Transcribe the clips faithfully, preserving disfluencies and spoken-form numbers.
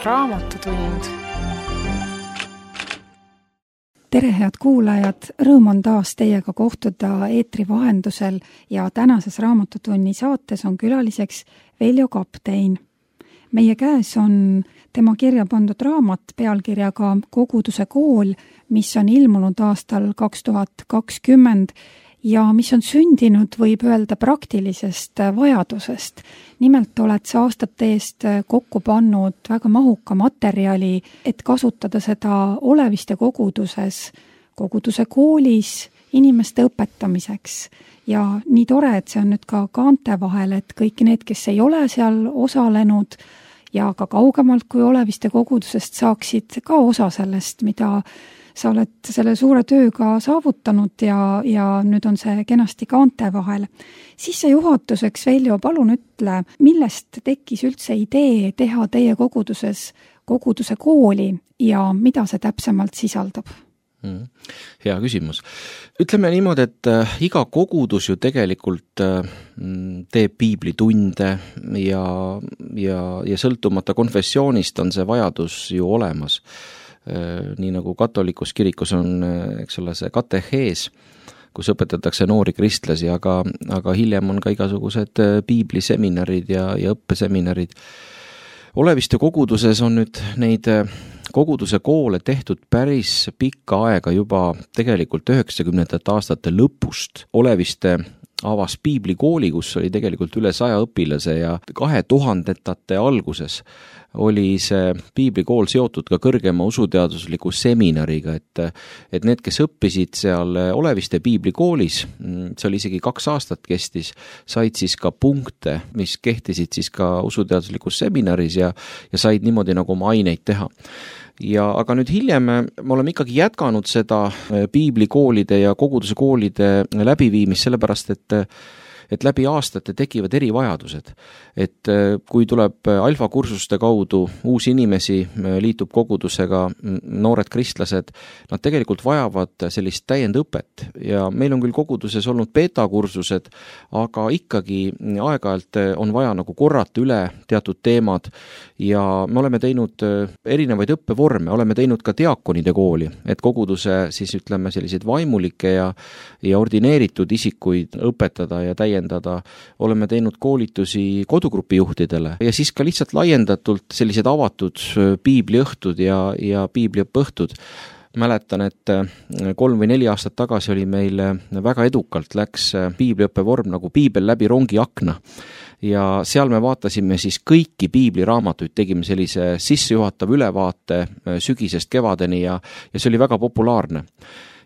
Raamatutund. Tere, head kuulajad! Rõõm on taas teiega kohtuda eetri vahendusel ja tänases Raamatutunni saates on külaliseks Veljo Kaptein. Meie käes on tema kirja pandud raamat pealkirjaga Koguduse kool, mis on ilmunud aastal kaks tuhat kakskümmend ja mis on sündinud, võib öelda, praktilisest vajadusest. Nimelt oled sa aastate eest kokku pannud väga mahuka materjali, et kasutada seda Oleviste koguduses, koguduse koolis, inimeste õpetamiseks. Ja nii tore, et see on nüüd ka kaante vahel, et kõik need, kes ei ole seal osalenud ja ka kaugemalt kui Oleviste kogudusest saaksid ka osa sellest, mida sa oled selle suure tööga saavutanud ja, ja nüüd on see kenasti kaante vahel. Siis see juhatuseks, Veljo, palun ütle, millest tekkis üldse idee teha teie koguduses koguduse kooli ja mida see täpsemalt sisaldab? Mm, hea küsimus. Ütleme niimoodi, et äh, iga kogudus ju tegelikult äh, teeb piiblitunde ja, ja, ja sõltumata konfessioonist on see vajadus ju olemas. Nii nagu katolikus kirikus on, eks ole, see katehees, kus õpetatakse noori kristlasi, aga, aga hiljem on ka igasugused piibliseminarid ja, ja õppeseminarid. Oleviste koguduses on nüüd neid koguduse koole tehtud päris pikka aega juba tegelikult üheksakümnendate aastate lõpust. Oleviste avas piiblikooli, kus oli tegelikult üle saja õpilase ja kahe tuhandetate alguses oli see piiblikool seotud ka kõrgema usuteadusliku seminariga, et, et need, kes õppisid seal Oleviste piiblikoolis, see oli isegi kaks aastat kestis, said siis ka punkte, mis kehtisid siis ka usuteaduslikus seminaris ja, ja said niimoodi nagu oma aineid teha. Ja, aga nüüd hiljem me oleme ikkagi jätkanud seda piiblikoolide ja koguduse koolide läbiviimist, sellepärast et et läbi aastate tekivad erivajadused. Et kui tuleb alfakursuste kaudu uusi inimesi, liitub kogudusega noored kristlased, nad tegelikult vajavad sellist täiendõpet ja meil on küll koguduses olnud beta-kursused, aga ikkagi aeg-ajalt on vaja nagu korrata üle teatud teemad ja me oleme teinud erinevaid õppevorme, oleme teinud ka diakonide kooli, et koguduse siis ütleme selliseid vaimulikke ja, ja ordineeritud isikuid õpetada ja täiendada. Oleme teinud koolitusi kodugrupi juhtidele ja siis ka lihtsalt laiendatult sellised avatud piibliõhtud ja, ja piibliõppõhtud. Mäletan, et kolm või neli aastat tagasi oli meil väga edukalt läks piibliõppevorm nagu piibel läbi rongi akna. Ja seal me vaatasime siis kõiki piibliraamatuid, tegime sellise sissejuhatav ülevaate sügisest kevadeni ja, ja see oli väga populaarne.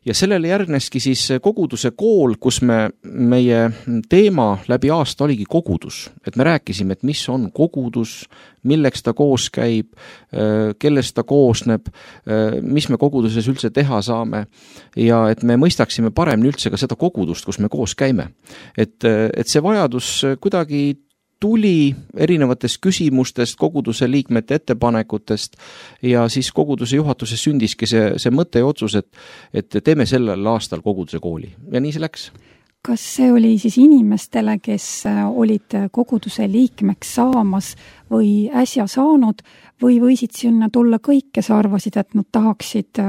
Ja sellele järgneski siis koguduse kool, kus me, meie teema läbi aasta oligi kogudus. Et me rääkisime, et mis on kogudus, milleks ta koos käib, kellest ta koosneb, mis me koguduses üldse teha saame ja et me mõistaksime paremini üldse ka seda kogudust, kus me koos käime. Et, et see vajadus kuidagi tuli erinevatest küsimustest, koguduse liikmete ettepanekutest ja siis koguduse juhatuses sündiski see, see mõte ja otsus, et, et teeme sellel aastal koguduse kooli. Ja nii see läks. Kas see oli siis inimestele, kes olid koguduse liikmeks saamas või äsja saanud või võisid sinna tulla kõik, kes arvasid, et nad tahaksid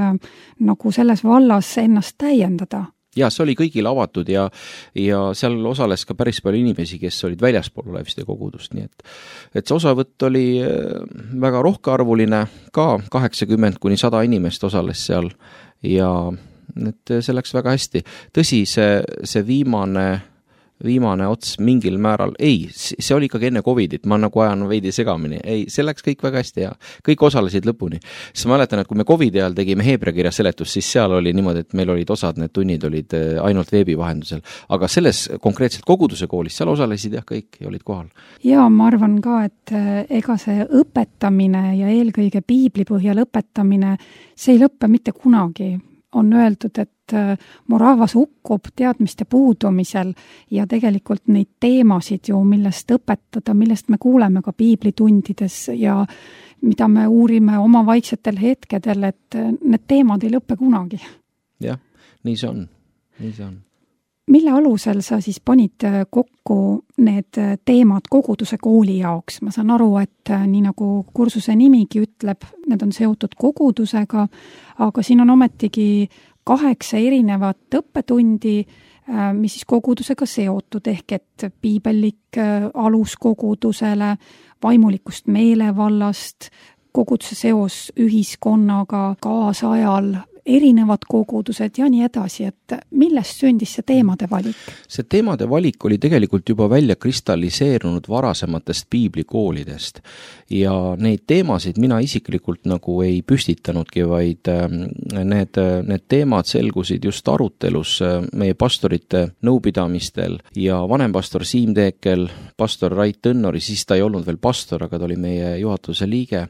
nagu selles vallas ennast täiendada? Ja see oli kõigile avatud ja, ja seal osales ka päris palju inimesi, kes olid väljaspool Oleviste kogudust. Nii et, et see osavõtt oli väga rohkearvuline, ka kaheksakümmend kuni sada inimest osales seal ja et see läks väga hästi. Tõsi, see, see viimane, viimane ots mingil määral, ei, see oli ikkagi enne Covidit, ma nagu ajan veidi segamini, ei, see läks kõik väga hästi ja kõik osalesid lõpuni. Siis ma mäletan, et kui me Covidi ajal tegime Heebreakirja seletust, siis seal oli niimoodi, et meil olid osad, need tunnid olid ainult veebi vahendusel, aga selles konkreetselt koguduse koolis, seal osalesid jah kõik ja olid kohal. Ja ma arvan ka, et ega see õpetamine ja eelkõige piibli põhjal õpetamine, see ei lõppe mitte kunagi. On öeldud, et mu rahvas hukkub teadmiste puudumisel ja tegelikult neid teemasid ju, millest õpetada, millest me kuuleme ka piiblitundides ja mida me uurime oma vaiksetel hetkedel, et need teemad ei lõppe kunagi. Jah, nii see on, nii see on. mille alusel sa siis panid kokku need teemad koguduse kooli jaoks? Ma saan aru, et nii nagu kursuse nimigi ütleb, need on seotud kogudusega, aga siin on ometigi kaheksa erinevat õppetundi, mis siis kogudusega seotud, ehk et piibellik alus kogudusele, vaimulikust meelevallast, koguduse seos ühiskonnaga, kaasajal, erinevad kogudused ja nii edasi, et millest sündis see teemade valik? See teemade valik oli tegelikult juba välja kristalliseerunud varasematest piiblikoolidest ja neid teemasid mina isiklikult nagu ei püstitanudki, vaid need, need teemad selgusid just arutelus meie pastorite nõupidamistel ja vanempastor Siim Teekel, pastor Rait Tõnnori, siis ta ei olnud veel pastor, aga ta oli meie juhatuse liige,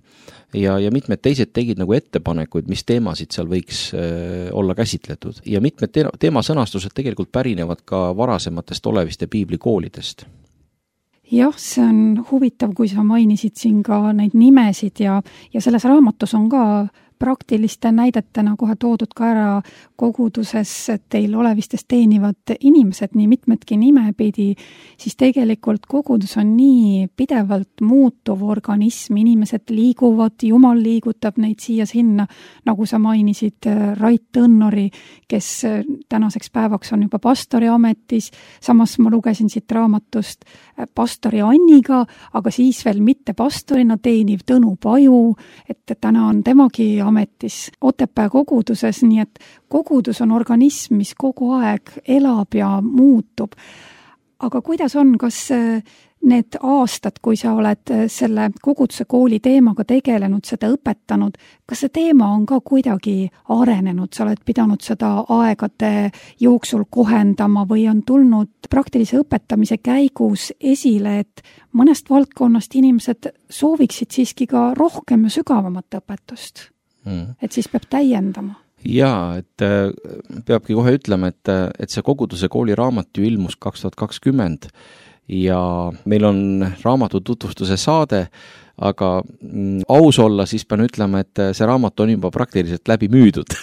ja, ja mitmed teised tegid nagu ettepanekuid, mis teemasid seal võiks äh, olla käsitletud. Ja mitmed te- teemasõnastused tegelikult pärinevad ka varasematest oleviste piiblikoolidest. Jah, see on huvitav, kui sa mainisid siin ka neid nimesid ja, ja selles raamatus on ka praktiliste näidetena kohe toodud ka ära koguduses teil olevistes teenivad inimesed, nii mitmedki nimepidi, siis tegelikult kogudus on nii pidevalt muutuv organism, inimesed liiguvad, Jumal liigutab neid siia-sinna, nagu sa mainisid Rait Tõnnori, kes tänaseks päevaks on juba pastori ametis, samas ma lugesin siit raamatust pastori Anniga, aga siis veel mitte pastorina teeniv Tõnu Paju, et täna on temagi ametis Otepää koguduses, nii et kogudus on organism, mis kogu aeg elab ja muutub. Aga kuidas on, kas need aastad, kui sa oled selle koguduse kooli teemaga tegelenud, seda õpetanud, kas see teema on ka kuidagi arenenud, sa oled pidanud seda aegade jooksul kohendama või on tulnud praktilise õpetamise käigus esile, et mõnest valdkonnast inimesed sooviksid siiski ka rohkem ja sügavamat õpetust? Mm. Et siis peab täiendama. Jaa, et peabki kohe ütlema, et, et see koguduse kooli raamat ju ilmus kaks tuhat kakskümmend ja meil on raamatu tutvustuse saade, aga mm, aus olla, siis pean ütlema, et see raamat on juba praktiliselt läbi müüdud.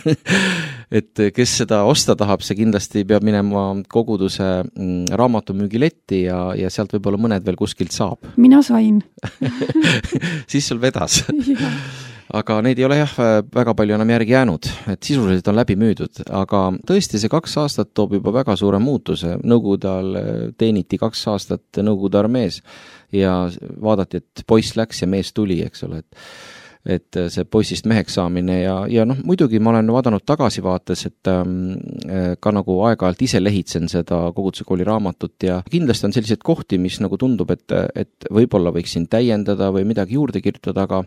Et kes seda osta tahab, see kindlasti peab minema koguduse mm, raamatumüügiletti ja, ja sealt võib-olla mõned veel kuskilt saab. Mina sain. Siis sul vedas. Aga neid ei ole jah väga palju enam järgi jäänud, et sisuliselt on läbi müüdud, aga tõesti see kaks aastat toob juba väga suure muutuse. Nõukogude ajal teeniti kaks aastat Nõukogude armees ja vaadati, et poiss läks ja mees tuli, eks ole, et et see poissist meheks saamine ja, ja noh, muidugi ma olen vaadanud tagasivaates, et ähm, ka nagu aeg-ajalt ise lehitsen seda koguduse kooli raamatut ja kindlasti on selliseid kohti, mis nagu tundub, et, et võib-olla võiksin täiendada või midagi juurde kirjutada, aga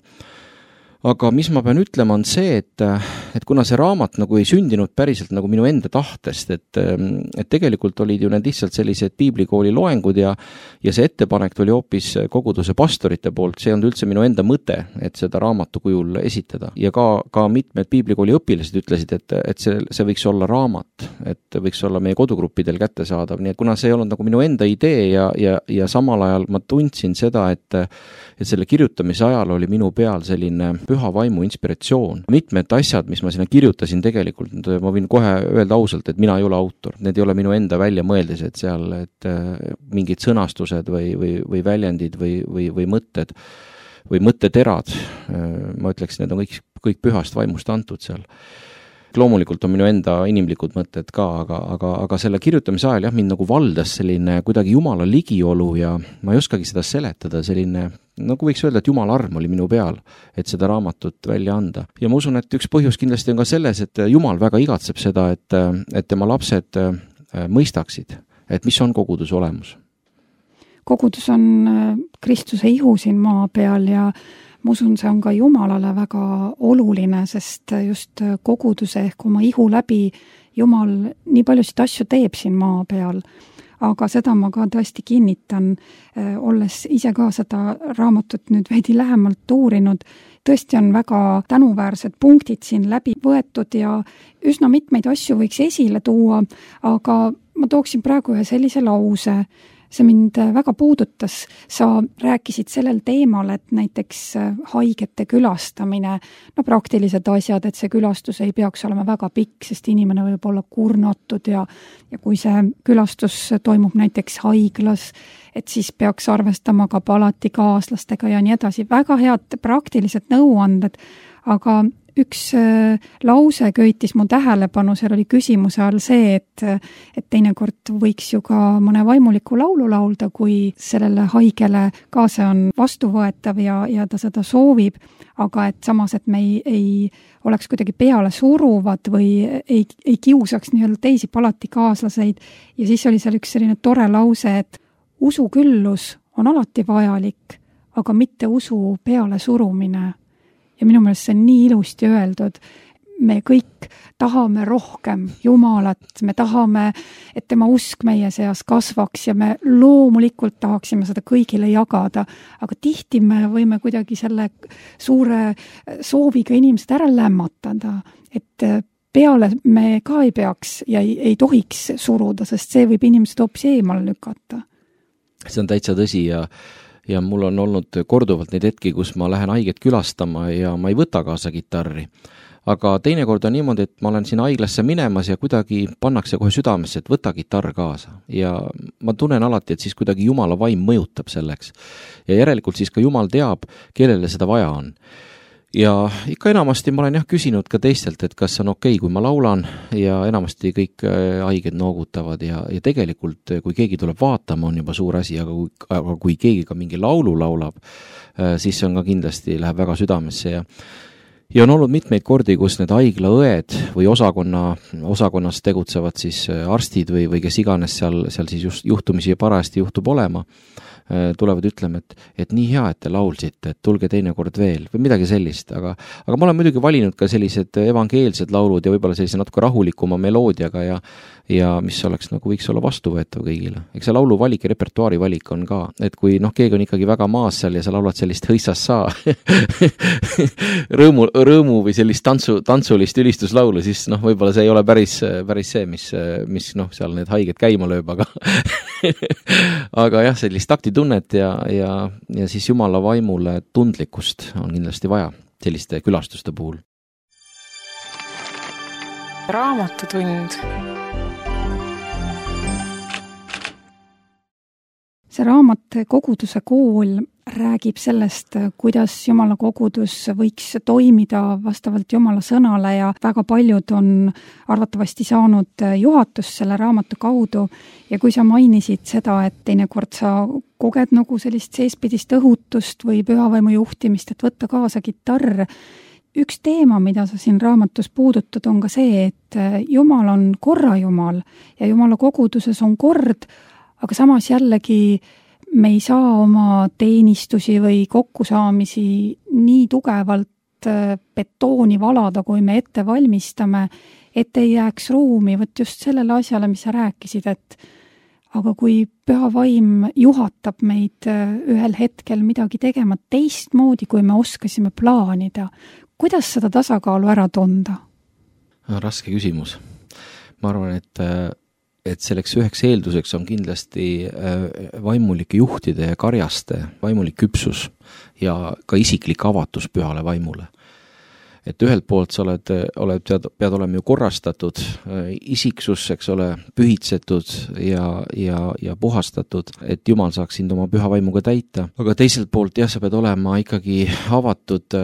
Aga mis ma pean ütlema on see, et, et kuna see raamat nagu ei sündinud päriselt nagu minu enda tahtest, et, et tegelikult olid ju need lihtsalt sellised piiblikooli loengud ja, ja see ettepanek tuli hoopis koguduse pastorite poolt, see on üldse minu enda mõte, et seda raamatu kujul esitada. Ja ka, ka mitmed piiblikooli õpilased ütlesid, et, et see, see võiks olla raamat, et võiks olla meie kodugruppidel kättesaadav, nii et kuna see ei olnud nagu minu enda idee ja, ja, ja samal ajal ma tundsin seda, et, et selle kirjutamise ajal oli minu peal selline püha vaimu inspiratsioon. Mitmed asjad, mis ma sinna kirjutasin tegelikult, ma võin kohe öelda ausalt, et mina ei ole autor. Need ei ole minu enda väljamõeldised seal, et mingid sõnastused või, või, või väljendid või, või, või mõtted või mõtteterad. Ma ütleks, need on kõik, kõik pühast vaimust antud seal. Loomulikult on minu enda inimlikud mõtted ka, aga, aga, aga selle kirjutamise ajal jah, mind nagu valdas selline kuidagi Jumala ligiolu ja ma ei oskagi seda seletada, selline, nagu võiks öelda, et Jumala arm oli minu peal, et seda raamatut välja anda. Ja ma usun, et üks põhjus kindlasti on ka selles, et Jumal väga igatseb seda, et, et tema lapsed mõistaksid, et mis on koguduse olemus. Kogudus on Kristuse ihu siin maa peal ja ma usun, see on ka Jumalale väga oluline, sest just koguduse ehk oma ihu läbi Jumal nii paljusid asju teeb siin maa peal. Aga seda ma ka tõesti kinnitan, olles ise ka seda raamatut nüüd veidi lähemalt uurinud. Tõesti on väga tänuväärsed punktid siin läbi võetud ja üsna mitmeid asju võiks esile tuua, aga ma tooksin praegu ühe sellise lause. see mind väga puudutas. Sa rääkisid sellel teemal, et näiteks haigete külastamine, no praktilised asjad, et see külastus ei peaks olema väga pikk, sest inimene võib olla kurnatud ja, ja kui see külastus toimub näiteks haiglas, et siis peaks arvestama ka palatikaaslastega ja nii edasi. Väga head praktilised nõuanded, aga üks lause köitis mu tähelepanu, seal oli küsimuse all see, et, et teinekord võiks ju ka mõne vaimuliku laulu laulda, kui sellele haigele ka see on vastuvõetav ja, ja ta seda soovib, aga et samas, et me ei, ei oleks kuidagi peale suruvad või ei, ei kiusaks nii-öelda teisi palatikaaslaseid. Ja siis oli seal üks selline tore lause, et usuküllus on alati vajalik, aga mitte usu peale surumine. Ja minu meelest see on nii ilusti öeldud. Me kõik tahame rohkem Jumalat, me tahame, et tema usk meie seas kasvaks ja me loomulikult tahaksime seda kõigile jagada, aga tihti me võime kuidagi selle suure sooviga inimesed ära lämmatada, et peale me ka ei peaks ja ei, ei tohiks suruda, sest see võib inimesed hoopis eemale lükata. See on täitsa tõsi ja Ja mul on olnud korduvalt neid hetki, kus ma lähen haiget külastama ja ma ei võta kaasa kitarri. Aga teinekord on niimoodi, et ma olen siin haiglasse minemas ja kuidagi pannakse kohe südamesse, et võta kitarr kaasa. Ja ma tunnen alati, et siis kuidagi Jumala vaim mõjutab selleks. Ja järelikult siis ka Jumal teab, kellele seda vaja on. Ja ikka enamasti ma olen jah küsinud ka teistelt, et kas on okei, kui ma laulan ja enamasti kõik haiged noogutavad ja, ja tegelikult kui keegi tuleb vaatama, on juba suur asi, aga kui, aga kui keegi ka mingi laulu laulab, siis see on ka kindlasti, läheb väga südamesse ja Ja on olnud mitmeid kordi, kus need haiglaõed või osakonna, osakonnas tegutsevad siis arstid või, või kes iganes seal, seal siis just juhtumisi parajasti juhtub olema, tulevad ütlema, et, et nii hea, et te laulsite, et tulge teinekord veel või midagi sellist, aga, aga ma olen muidugi valinud ka sellised evangeelsed laulud ja võib-olla sellise natuke rahulikuma meloodiaga ja, ja mis oleks nagu võiks olla vastuvõetav kõigile. Eks see laulu valik ja repertuaari valik on ka, et kui noh, keegi on ikkagi väga maas seal ja sa laulad sellist hõissas saa rõõmu, rõõmu või sellist tantsu, tantsulist ülistuslaulu, siis noh, võib-olla see ei ole päris, päris see, mis, mis noh, seal need haiged käima lööb, aga aga jah, sellist taktitunnet ja, ja, ja siis Jumala vaimule tundlikkust on kindlasti vaja selliste külastuste puhul. Raamatutund. See raamat Koguduse kool räägib sellest, kuidas Jumala kogudus võiks toimida vastavalt Jumala sõnale ja väga paljud on arvatavasti saanud juhatust selle raamatu kaudu ja kui sa mainisid seda, et teinekord sa koged nagu sellist seespidist õhutust või pühavaimu juhtimist, et võtta kaasa kitarr, üks teema, mida sa siin raamatus puudutad, on ka see, et Jumal on korra Jumal ja Jumala koguduses on kord, aga samas jällegi me ei saa oma teenistusi või kokkusaamisi nii tugevalt betooni valada, kui me ette valmistame, et ei jääks ruumi, võt just sellele asjale, mis sa rääkisid, et aga kui püha vaim juhatab meid ühel hetkel midagi tegema teistmoodi, kui me oskasime plaanida, kuidas seda tasakaalu ära tunda? Raske küsimus. Ma arvan, et et selleks üheks eelduseks on kindlasti vaimulike juhtide ja karjaste vaimulik küpsus ja ka isiklik avatus pühale vaimule. Et ühelt poolt sa oled, oled, pead olema ju korrastatud isiksus, eks ole, pühitsetud ja, ja, ja puhastatud, et Jumal saaks sind oma püha vaimuga täita. Aga teiselt poolt jah, sa pead olema ikkagi avatud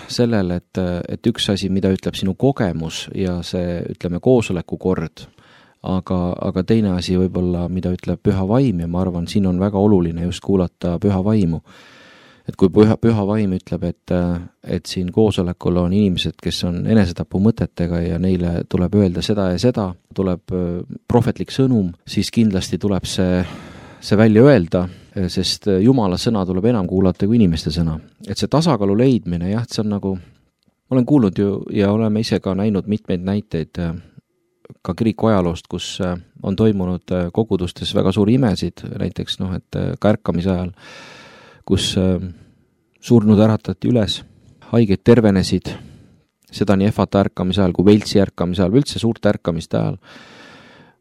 sellele, et, et üks asi, mida ütleb sinu kogemus ja see, ütleme, koosoleku kord, Aga, aga teine asi võib-olla, mida ütleb püha vaim ja ma arvan, siin on väga oluline just kuulata püha vaimu. Et kui püha, püha vaim ütleb, et, et siin koosolekul on inimesed, kes on enesetapu mõtetega ja neile tuleb öelda seda ja seda, tuleb prohvetlik sõnum, siis kindlasti tuleb see, see välja öelda, sest Jumala sõna tuleb enam kuulata kui inimeste sõna. Et see tasakaalu leidmine, jah, see on nagu, ma olen kuulnud ju ja oleme ise ka näinud mitmeid näiteid ka kiriku ajaloost, kus on toimunud kogudustes väga suuri imesid, näiteks noh, et ka ärkamise ajal, kus surnud äratati üles, haiged tervenesid, seda nii ehvata ärkamise ajal kui Veltsi ärkamise ajal, üldse suurte ärkamiste ajal,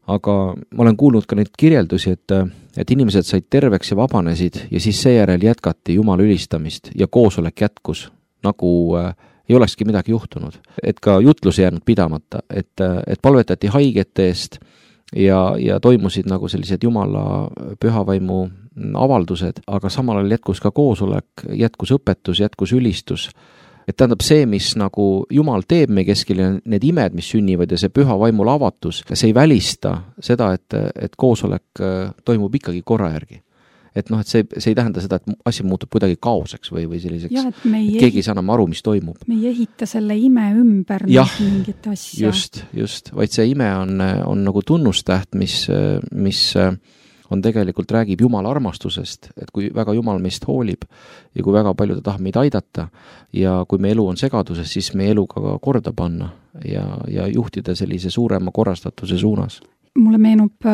aga ma olen kuulnud ka neid kirjeldusi, et, et inimesed said terveks ja vabanesid ja siis seejärel jätkati Jumala ülistamist ja koosolek jätkus, nagu äh, ei olekski midagi juhtunud. Et ka jutlus jäänud pidamata, et, et palvetati haigete eest ja, ja toimusid nagu sellised Jumala pühavaimu avaldused, aga samal ajal jätkus ka koosolek, jätkus õpetus, jätkus ülistus. Et tähendab see, mis nagu Jumal teeb meie keskel ja need imed, mis sünnivad ja see püha vaimul avatus, see ei välista seda, et, et koosolek toimub ikkagi korra järgi. Et noh, et see, see ei tähenda seda, et asi muutub kuidagi kaoseks või, või selliseks, ja, et, et keegi ei saa enam aru, mis toimub. Me ei ehita selle ime ümber jah, mingit asja. Just, just, vaid see ime on, on nagu tunnustäht, mis, mis on tegelikult räägib Jumala armastusest, et kui väga Jumal meist hoolib ja kui väga palju ta tahab meid aidata ja kui meie elu on segaduses, siis meie elu ka korda panna ja, ja juhtida sellise suurema korrastatuse suunas. Mulle meenub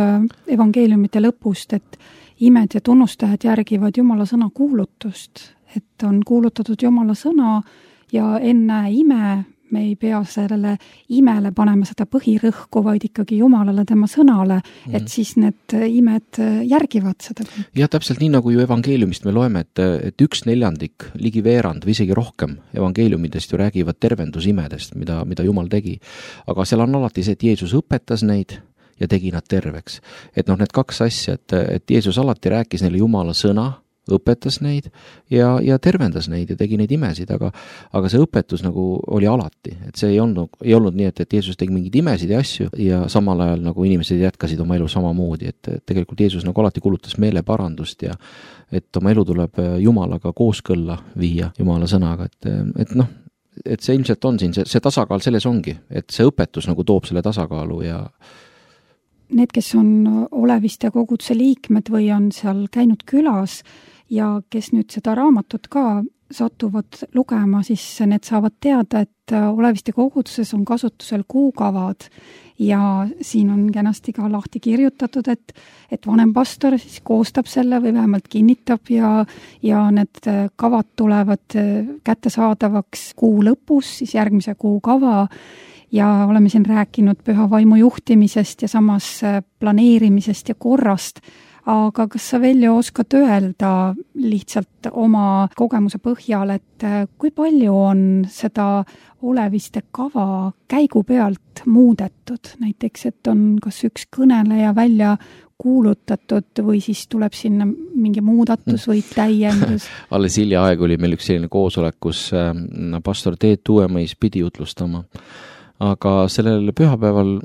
evangeeliumite lõpust, et imed ja tunnustähed järgivad Jumala sõna kuulutust, et on kuulutatud Jumala sõna ja enne ime me ei pea sellele imele panema seda põhirõhku, vaid ikkagi Jumalale tema sõnale, mm. et siis need imed järgivad seda. Ja täpselt nii, nagu ju evangeeliumist me loeme, et, et üks neljandik, ligi veerand või isegi rohkem evangeeliumidest ju räägivad tervendusimedest, mida, mida Jumal tegi. Aga seal on alati see, et Jeesus õpetas neid ja tegi nad terveks. Et noh, need kaks asja, et, et Jeesus alati rääkis neile Jumala sõna, õpetas neid ja, ja tervendas neid ja tegi neid imesid, aga, aga see õpetus nagu oli alati, et see ei olnud, ei olnud nii, et, et Jeesus tegi mingeid imesid ja asju ja samal ajal nagu inimesed jätkasid oma elu samamoodi, et, et tegelikult Jeesus nagu alati kulutas meeleparandust ja et oma elu tuleb Jumalaga kooskõlla viia Jumala sõnaga, et, et noh, et see ilmselt on siin, see, see tasakaal selles ongi, et see õpetus nagu toob selle tasakaalu ja need, kes on Oleviste koguduse liikmed või on seal käinud külas ja kes nüüd seda raamatut ka satuvad lugema, siis need saavad teada, et Oleviste koguduses on kasutusel kuukavad ja siin on kenasti ka lahti kirjutatud, et, et vanem pastor siis koostab selle või vähemalt kinnitab ja, ja need kavad tulevad kättesaadavaks kuu lõpus, siis järgmise kuu kava ja oleme siin rääkinud püha vaimu juhtimisest ja samas planeerimisest ja korrast, aga kas sa Veljo oskad öelda lihtsalt oma kogemuse põhjal, et kui palju on seda Oleviste kava käigu pealt muudetud, näiteks et on kas üks kõneleja välja kuulutatud või siis tuleb sinna mingi muudatus või täiendus? Alles hiljaaegu oli meil üks selline koosolek, kus pastor Teet Uuemõis pidi jutlustama. Aga sellel pühapäeval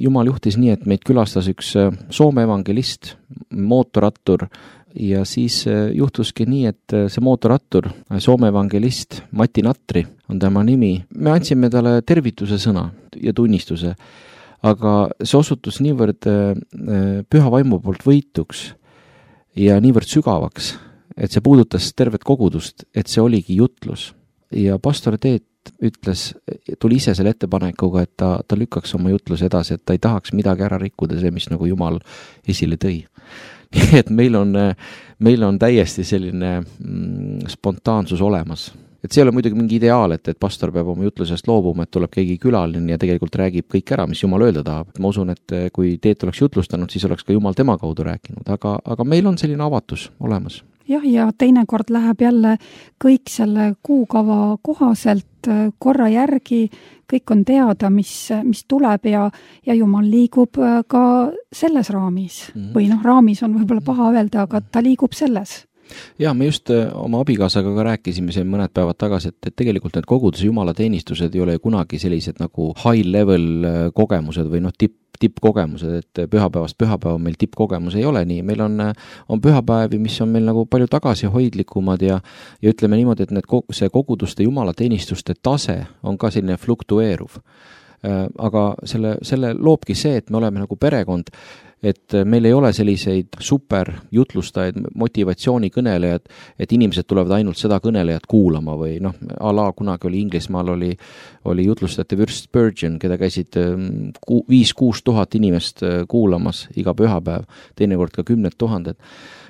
Jumal juhtis nii, et meid külastas üks Soome evangelist, mootorrattur ja siis juhtuski nii, et see mootorrattur, Soome evangelist Mati Natri on tema nimi. Me andsime talle tervituse sõna ja tunnistuse, aga see osutus niivõrd püha vaimu poolt võituks ja niivõrd sügavaks, et see puudutas tervet kogudust, et see oligi jutlus. Ja pastor Teet ütles, tuli ise selle ettepanekuga, et ta, ta lükkaks oma jutluse edasi, et ta ei tahaks midagi ära rikkuda, see, mis nagu Jumal esile tõi. Nii et meil on, meil on täiesti selline mm, spontaansus olemas. Et see ei ole muidugi mingi ideaal, et, et pastor peab oma jutlusest loobuma, et tuleb keegi külaline ja tegelikult räägib kõik ära, mis Jumal öelda tahab. Ma usun, et kui Teet oleks jutlustanud, siis oleks ka Jumal tema kaudu rääkinud, aga, aga meil on selline avatus olemas. Jah, ja teinekord läheb jälle kõik selle kuukava kohaselt korra järgi, kõik on teada, mis, mis tuleb ja, ja Jumal liigub ka selles raamis. Mm-hmm. Või noh, raamis on võib-olla paha öelda, aga ta liigub selles. Ja me just oma abikaasaga ka rääkisime siin mõned päevad tagasi, et, et tegelikult need koguduse Jumala teenistused ei ole kunagi sellised nagu high level kogemused või noh, tipp tippkogemused, et pühapäevast pühapäeva meil tippkogemus ei ole nii. Meil on, on pühapäevi, mis on meil nagu palju tagasihoidlikumad ja, ja ütleme niimoodi, et need, see koguduste Jumala teenistuste tase on ka selline fluktueeruv. Aga selle, selle loobki see, et me oleme nagu perekond, et meil ei ole selliseid super jutlustajaid, motivatsioonikõnelejad, et inimesed tulevad ainult seda kõnelejat kuulama või noh, ala kunagi oli Inglismaal oli, oli jutlustajate Wyrst Spurgeon, keda käisid viis-kuus tuhat inimest kuulamas iga pühapäev, teinekord ka kümned tuhanded.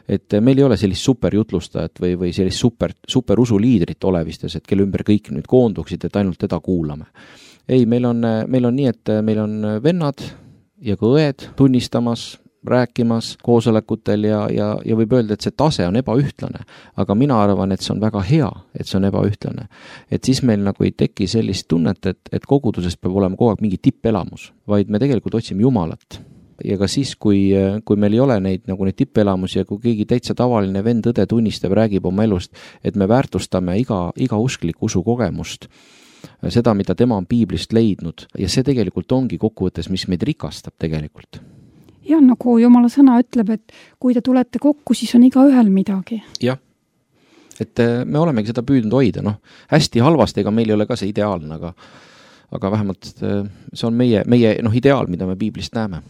Et meil ei ole sellist superjutlustajat või, või sellist super, super usuliidrit Olevistes, et kelle ümber kõik nüüd koonduksid, et ainult teda kuulame. Ei, meil on, meil on nii, et meil on vennad, ja ka õed tunnistamas, rääkimas koosolekutel ja, ja, ja võib öelda, et see tase on ebaühtlane. Aga mina arvan, et see on väga hea, et see on ebaühtlane. Et siis meil nagu ei teki sellist tunnet, et, et kogudusest peab olema kogu aeg mingi tippelamus, vaid me tegelikult otsime Jumalat. Ja ka siis, kui, kui meil ei ole neid, nagu neid tippelamusi ja kui keegi täitsa tavaline vend õde tunnistab, räägib oma elust, et me väärtustame iga, iga usklik usu kogemust, seda, mida tema on piiblist leidnud. Ja see tegelikult ongi kokkuvõttes, mis meid rikastab tegelikult. Ja nagu Jumala sõna ütleb, et kui te tulete kokku, siis on iga ühel midagi. Jah, et me olemegi seda püüdnud hoida, noh, hästi halvasti, ega meil ei ole ka see ideaalne, aga, aga vähemalt see on meie, meie noh, ideaal, mida me piiblist näeme.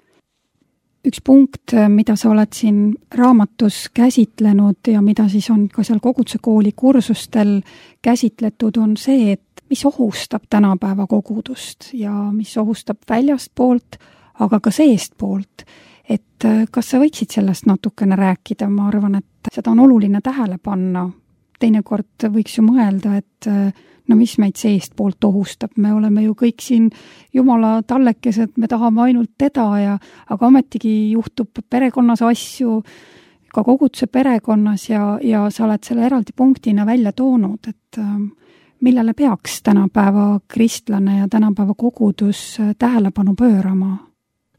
Üks punkt, mida sa oled siin raamatus käsitlenud ja mida siis on ka seal koguduse kooli kursustel käsitletud, on see, et mis ohustab tänapäeva kogudust ja mis ohustab väljast poolt, aga ka seest poolt. Et kas sa võiksid sellest natukene rääkida? Ma arvan, et seda on oluline tähele panna. Teinekord võiks ju mõelda, et no mis meid seest poolt ohustab. Me oleme ju kõik siin Jumala tallekesed, me tahame ainult teda, ja, aga ometigi juhtub perekonnas asju, ka koguduse perekonnas ja, ja sa oled selle eraldi punktina välja toonud, et millele peaks tänapäeva kristlane ja tänapäeva kogudus tähelepanu pöörama?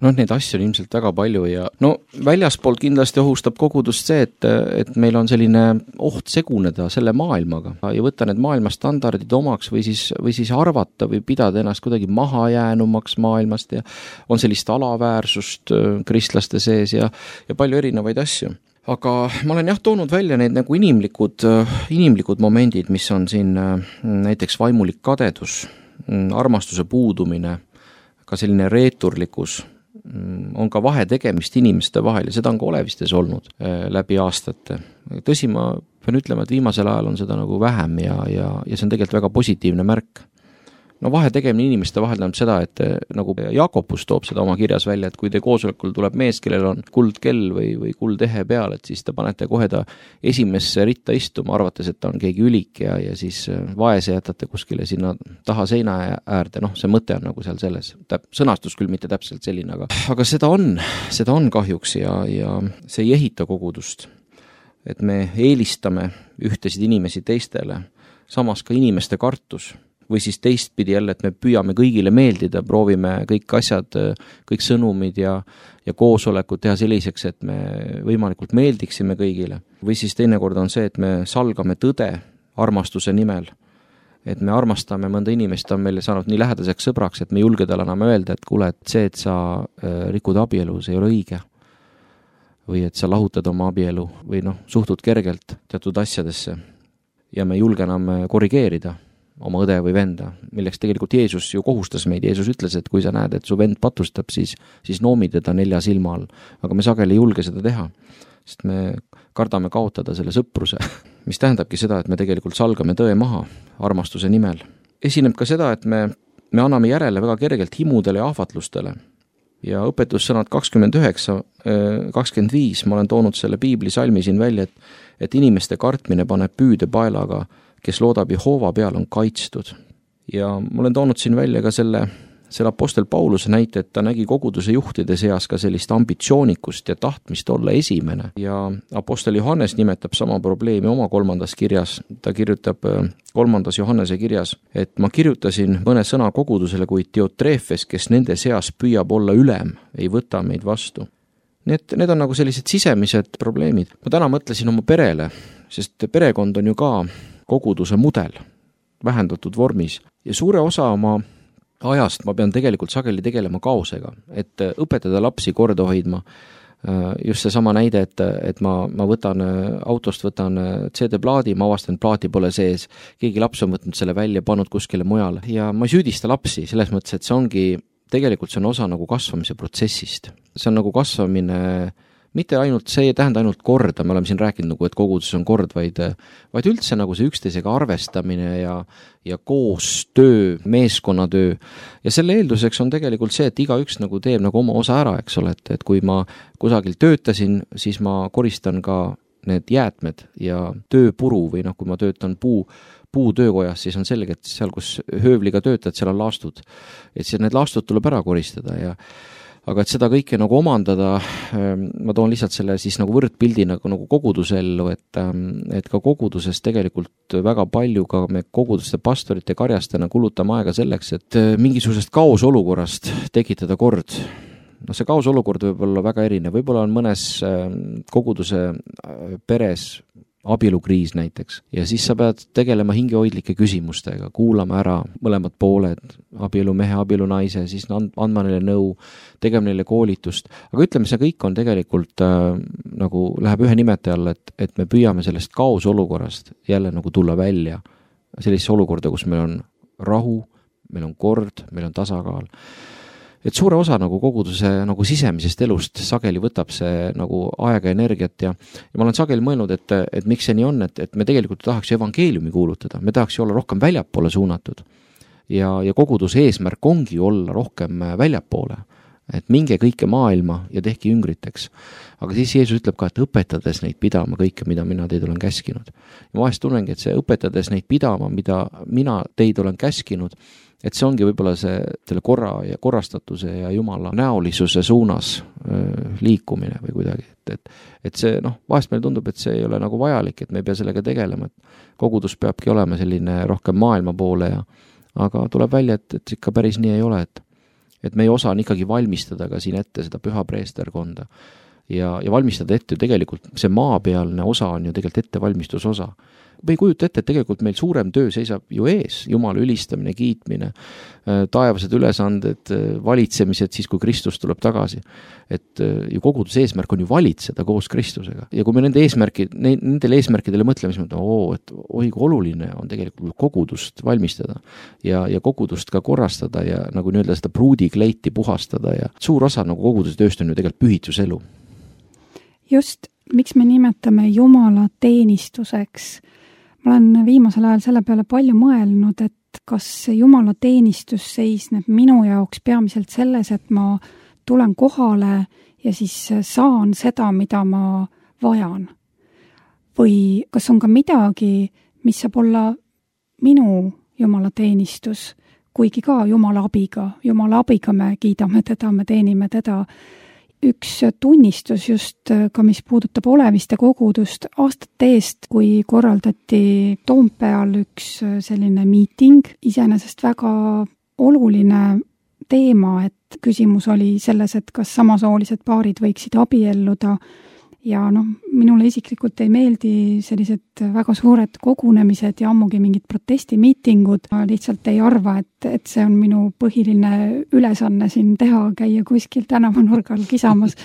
No neid asju on ilmselt väga palju ja no väljaspoolt kindlasti ohustab kogudust see, et, et meil on selline oht seguneda selle maailmaga ja võtta need maailmastandardid omaks või siis, või siis arvata või pidada ennast kuidagi mahajäänumaks maailmast ja on sellist alaväärsust kristlaste sees ja, ja palju erinevaid asju. Aga ma olen jah toonud välja need nagu inimlikud, inimlikud momendid, mis on siin näiteks vaimulik kadedus, armastuse puudumine, ka selline reeturlikkus, on ka vahe tegemist inimeste vahel ja seda on ka olevistes olnud läbi aastate. Tõsi, ma pean ütlema, et viimasel ajal on seda nagu vähem ja, ja, ja see on tegelikult väga positiivne märk. No vahe tegemine inimeste vahel tähendab seda, et nagu Jakobus toob seda oma kirjas välja, et kui te koosolekul tuleb mees, kellel on kuldkell või, või kuldehe peal, et siis te panete kohe ta esimesse ritta istuma, arvates, et ta on keegi ülik ja, ja siis vaese jätate kuskile sinna taha seina äärde. Noh, see mõte on nagu seal selles. Täp, sõnastus küll mitte täpselt selline, aga, aga seda on, seda on kahjuks ja, ja see ei ehita kogudust. Et me eelistame ühtesid inimesi teistele, samas ka inimeste kartus. Või siis teistpidi jälle, et me püüame kõigile meeldida, proovime kõik asjad, kõik sõnumid ja, ja koosolekud teha selliseks, et me võimalikult meeldiksime kõigile. Või siis teinekord on see, et me salgame tõde armastuse nimel. Et me armastame mõnda inimest, on meile saanud nii lähedaseks sõbraks, et me julge talle enam öelda, et kuule, et see, et sa rikud abielu, see ei ole õige. Või et sa lahutad oma abielu või noh, suhtud kergelt teatud asjadesse ja me julge enam korrigeerida oma õde või venda, milleks tegelikult Jeesus ju kohustas meid. Jeesus ütles, et kui sa näed, et su vend patustab, siis, siis noomi teda nelja silma all. Aga me sageli ei julge seda teha, sest me kardame kaotada selle sõpruse, mis tähendabki seda, et me tegelikult salgame tõe maha armastuse nimel. Esineb ka seda, et me, me anname järele väga kergelt himudele ja ahvatlustele. Ja õpetussõnad kakskümmend üheksa, kakskümmend viis, ma olen toonud selle piibli salmi siin välja, et, et inimeste kartmine paneb püüde paelaga, kes loodab Jehova peal, on kaitstud. Ja ma olen toonud siin välja ka selle, selle apostel Pauluse näite, et ta nägi koguduse juhtide seas ka sellist ambitsioonikust ja tahtmist olla esimene. Ja apostel Johannes nimetab sama probleemi oma kolmandas kirjas. Ta kirjutab kolmandas Johannese kirjas, et ma kirjutasin mõne sõna kogudusele, kuid Diotrefes, kes nende seas püüab olla ülem, ei võta meid vastu. Need, need on nagu sellised sisemised probleemid. Ma täna mõtlesin oma perele, sest perekond on ju ka koguduse mudel vähendatud vormis ja suure osa oma ajast ma pean tegelikult sageli tegelema kaosega, et õpetada lapsi korda hoidma. Just see sama näide, et, et ma, ma võtan autost, võtan C D-plaadi, ma avastan, plaati pole sees, keegi laps on võtnud selle välja, pannud kuskile mujale ja ma ei süüdista lapsi selles mõttes, et see ongi, tegelikult see on osa nagu kasvamise protsessist. See on nagu kasvamine, mitte ainult, see ei tähenda ainult korda, me oleme siin rääkinud nagu, et koguduses on kord, vaid, vaid üldse nagu see üksteisega arvestamine ja, ja koostöö, meeskonnatöö. Ja selle eelduseks on tegelikult see, et igaüks nagu teeb nagu oma osa ära, eks ole, et, et kui ma kusagil töötasin, siis ma koristan ka need jäätmed ja tööpuru või noh, kui ma töötan puu, puutöökojas, siis on selge, et seal, kus höövliga töötad, seal on laastud. Et siis need laastud tuleb ära koristada ja aga et seda kõike nagu omandada, ma toon lihtsalt selle siis nagu võrdpildi nagu, nagu koguduse ellu, et, et ka koguduses tegelikult väga palju ka me koguduste pastorite karjastena kulutame aega selleks, et mingisugusest kaosolukorrast tekitada kord. No see kaosolukord võib olla väga erinev, võib-olla on mõnes koguduse peres abielukriis näiteks ja siis sa pead tegelema hingehoidlike küsimustega, kuulama ära mõlemad pooled, abielu mehe, abielu naise, siis andma neile nõu, tegema neile koolitust, aga ütleme, see kõik on tegelikult äh, nagu läheb ühe nimetaja alla, et, et me püüame sellest kaosolukorrast jälle nagu tulla välja sellisesse olukorda, kus meil on rahu, meil on kord, meil on tasakaal. Et suure osa nagu koguduse nagu sisemisest elust sageli võtab see nagu aega ja energiat ja, ja ma olen sageli mõelnud, et, et miks see nii on, et, et me tegelikult tahaks evangeeliumi kuulutada, me tahaks ju olla rohkem väljapoole suunatud ja, ja koguduse eesmärk ongi olla rohkem väljapoole, et minge kõike maailma ja tehke jüngriteks. Aga siis Jeesus ütleb ka, et õpetades neid pidama kõike, mida mina teid olen käskinud. Ja ma vahest tunnengi, et see õpetades neid pidama, mida mina teid olen käskinud, et see ongi võib-olla see selle korra ja korrastatuse ja Jumala näolisuse suunas öö, liikumine või kuidagi. Et, et, et see, noh, vahest meil tundub, et see ei ole nagu vajalik, et me ei pea sellega tegelema, et kogudus peabki olema selline rohkem maailma poole ja aga tuleb välja, et, et ikka päris nii ei ole, et, et meie osa on ikkagi valmistada ka siin ette seda püha preesterkonda ja, ja valmistada ette ju tegelikult see maapealne osa on ju tegelikult ettevalmistusosa. Me ei kujuta ette, et tegelikult meil suurem töö seisab ju ees, Jumala ülistamine, kiitmine, taevased ülesanded, valitsemised siis, kui Kristus tuleb tagasi. Et ju koguduse eesmärk on ju valitseda koos Kristusega. Ja kui me nende eesmärki, nendele eesmärkidele mõtleme, siis mõtleme, oo, et oi, kui oluline on tegelikult kogudust valmistada ja, ja kogudust ka korrastada ja nagu nii-öelda seda pruudikleiti puhastada ja suur osa nagu koguduse tööst on ju tegelikult pühituselu. Just, miks me nimetame Jumala teenistuseks? Ma olen viimasel ajal selle peale palju mõelnud, et kas Jumala teenistus seisneb minu jaoks peamiselt selles, et ma tulen kohale ja siis saan seda, mida ma vajan. Või kas on ka midagi, mis saab olla minu Jumala teenistus, kuigi ka Jumala abiga. Jumala abiga me kiidame teda, me teenime teda. Üks tunnistus just ka, mis puudutab oleviste kogudust aastate eest, kui korraldati Toompeal üks selline miiting, iseenesest väga oluline teema, et küsimus oli selles, et kas samasoolised paarid võiksid abielluda ja noh, minule isiklikult ei meeldi sellised väga suured kogunemised ja ammugi mingid protestimiitingud. Ma lihtsalt ei arva, et, et see on minu põhiline ülesanne siin teha, käia kuskil tänavanurgal kisamas.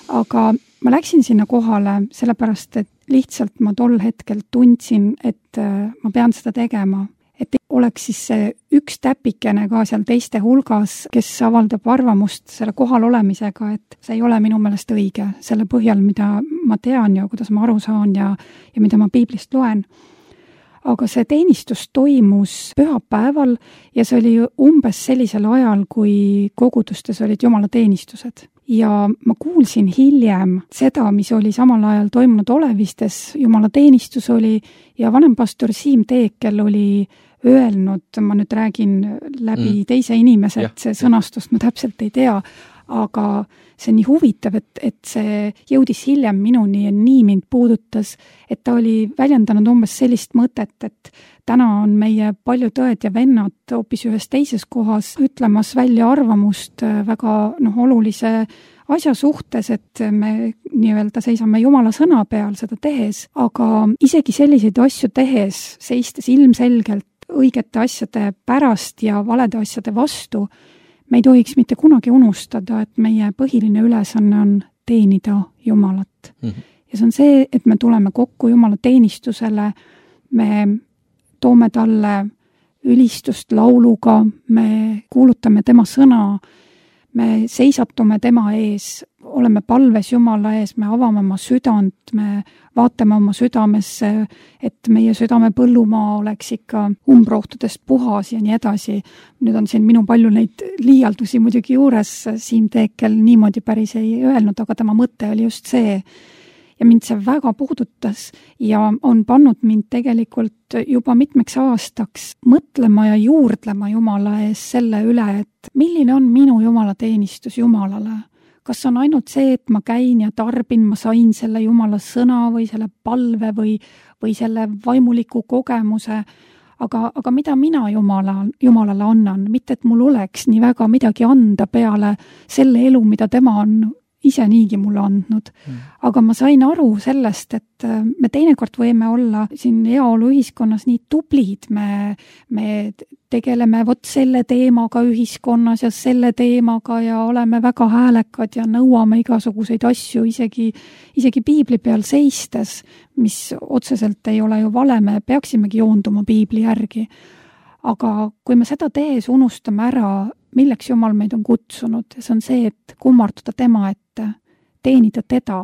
Aga ma läksin sinna kohale sellepärast, et lihtsalt ma tol hetkel tundsin, et ma pean seda tegema. Et oleks siis see üks täpikene ka seal teiste hulgas, kes avaldab arvamust selle kohal olemisega, et see ei ole minu meelest õige selle põhjal, mida ma tean ja kuidas ma aru saan ja, ja mida ma piiblist loen. Aga see teenistus toimus pühapäeval ja see oli umbes sellisel ajal, kui kogudustes olid Jumala teenistused. Ja ma kuulsin hiljem seda, mis oli samal ajal toimunud olevistes, Jumala teenistus oli ja vanempastor Siim Teekel oli öelnud, ma nüüd räägin läbi mm. teise inimese, et see sõnastust ma täpselt ei tea, aga see on nii huvitav, et, et see jõudis hiljem minuni ja nii mind puudutas, et ta oli väljendanud umbes sellist mõtet, et täna on meie paljud õed ja vennad hoopis ühes teises kohas ütlemas välja arvamust väga noh, olulise asja suhtes, et me nii-öelda seisame Jumala sõna peal seda tehes, aga isegi selliseid asju tehes, seistes ilmselgelt õigete asjade pärast ja valede asjade vastu, me ei tohiks mitte kunagi unustada, et meie põhiline ülesanne on teenida Jumalat. Mm-hmm. Ja see on see, et me tuleme kokku Jumala teenistusele, me toome talle ülistust lauluga, me kuulutame tema sõna, me seisatume tema ees, oleme palves Jumala ees, me avame oma südant, me vaatame oma südamesse, et meie südame põllumaa oleks ikka umbrohtudest puhas ja nii edasi. Nüüd on siin minu palju neid liialdusi muidugi juures, Siim Teekel niimoodi päris ei öelnud, aga tema mõte oli just see. ja mind see väga puudutas ja on pannud mind tegelikult juba mitmeks aastaks mõtlema ja juurdlema Jumala ees selle üle, et milline on minu jumalateenistus Jumalale. Kas on ainult see, et ma käin ja tarbin, ma sain selle Jumala sõna või selle palve või, või selle vaimuliku kogemuse, aga, aga mida mina Jumala, Jumalale annan, mitte et mul oleks nii väga midagi anda peale selle elu, mida tema on ise niigi mulle andnud. Mm. Aga ma sain aru sellest, et me teinekord võime olla siin heaolu ühiskonnas nii tublid, me, me tegeleme vot selle teemaga ühiskonnas ja selle teemaga ja oleme väga häälekad ja nõuame igasuguseid asju isegi, isegi piibli peal seistes, mis otseselt ei ole ju vale, me peaksimegi joonduma piibli järgi. Aga kui me seda tees unustame ära, milleks Jumal meid on kutsunud, see on see, et kummarduda tema ette, teenida teda,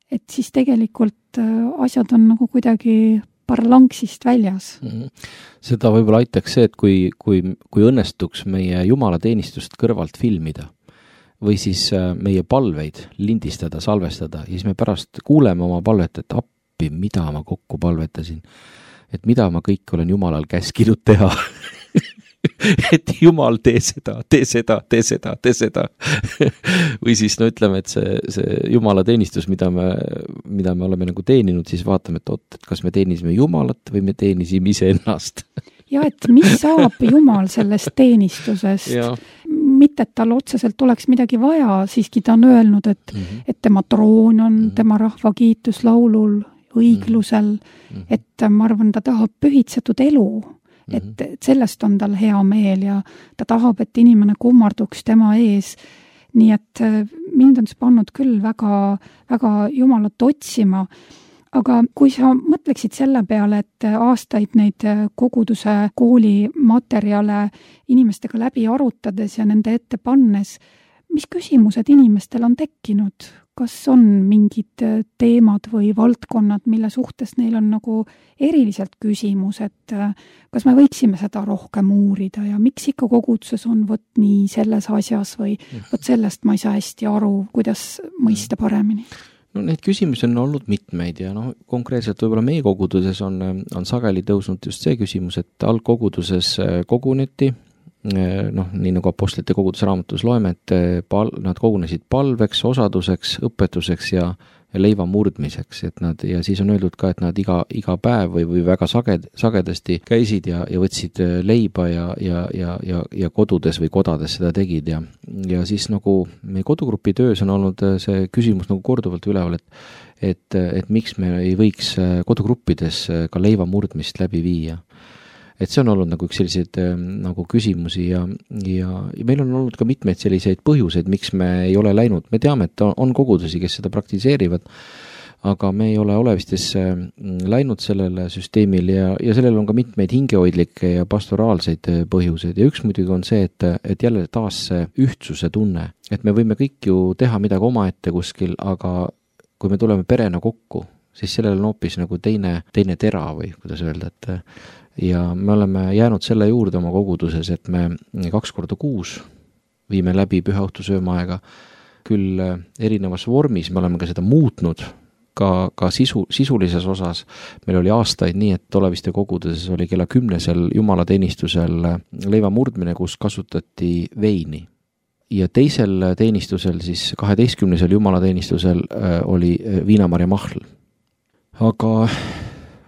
et siis tegelikult asjad on nagu kuidagi parlangsist väljas. Mm-hmm. Seda võib-olla aitaks see, et kui, kui, kui õnnestuks meie jumalateenistust kõrvalt filmida või siis meie palveid lindistada, salvestada ja siis me pärast kuuleme oma palvet, et appi, mida ma kokku palvetasin, et mida ma kõik olen Jumalal käskinud teha. Et Jumal, tee seda, tee seda, tee seda, tee seda. Või siis no ütleme, et see, see Jumala teenistus, mida me, mida me oleme nagu teeninud, siis vaatame, et oot, et kas me teenisime Jumalat või me teenisime ise ennast. Ja et mis saab Jumal sellest teenistusest? Ja. Mitte, et tal otseselt oleks midagi vaja, siiski ta on öelnud, et, mm-hmm. et tema troon on mm-hmm. tema rahva kiituslaulul, õiglusel, mm-hmm. et ma arvan, ta tahab pühitsetud elu. Et, et sellest on tal hea meel ja ta tahab, et inimene kummarduks tema ees. Nii et mind on see pannud küll väga, väga Jumalat otsima. Aga kui sa mõtleksid selle peale, et aastaid neid koguduse kooli materjale inimestega läbi arutades ja nende ette pannes, mis küsimused inimestel on tekkinud? Kas on mingid teemad või valdkonnad, mille suhtes neil on nagu eriliselt küsimus, et kas me võiksime seda rohkem uurida ja miks ikka koguduses on võt nii selles asjas või võt sellest ma ei saa hästi aru, kuidas mõista paremini? No neid küsimusi on olnud mitmeid ja no, konkreetselt võib-olla meie koguduses on, on sageli tõusnud just see küsimus, et algkoguduses koguneti, noh, nii nagu apostlite koguduse raamatus loeme, et pal- nad kogunesid palveks, osaduseks, õpetuseks ja, ja leiva murdmiseks, et nad, ja siis on öeldud ka, et nad iga, iga päev või, või väga saged, sagedasti käisid ja, ja võtsid leiba ja, ja, ja, ja, ja kodudes või kodades seda tegid ja, ja siis nagu meie kodugrupi töös on olnud see küsimus nagu korduvalt üleval, et, et, et miks me ei võiks kodugruppides ka leiva murdmist läbi viia. Et see on olnud nagu üks selliseid nagu küsimusi ja, ja, ja meil on olnud ka mitmeid selliseid põhjuseid, miks me ei ole läinud. Me teame, et on, on kogudusi, kes seda praktiseerivad, aga me ei ole olevistes läinud sellele süsteemil ja, ja sellel on ka mitmeid hingehoidlikke ja pastoraalseid põhjuseid. Ja üks muidugi on see, et, et jälle taas see ühtsuse tunne, et me võime kõik ju teha midagi omaette kuskil, aga kui me tuleme perena kokku, siis sellel on hoopis nagu teine, teine tera või kuidas öelda, et ja me oleme jäänud selle juurde oma koguduses, et me kaks korda kuus viime läbi pühaõhtusöömaaega küll erinevas vormis, me oleme ka seda muutnud ka, ka sisu, sisulises osas. Meil oli aastaid nii, et Oleviste koguduses oli kella kümnesel jumalateenistusel leiva murdmine, kus kasutati veini. Ja teisel teenistusel, siis kaheteistkümnesel jumalateenistusel oli viinamarja mahl. Aga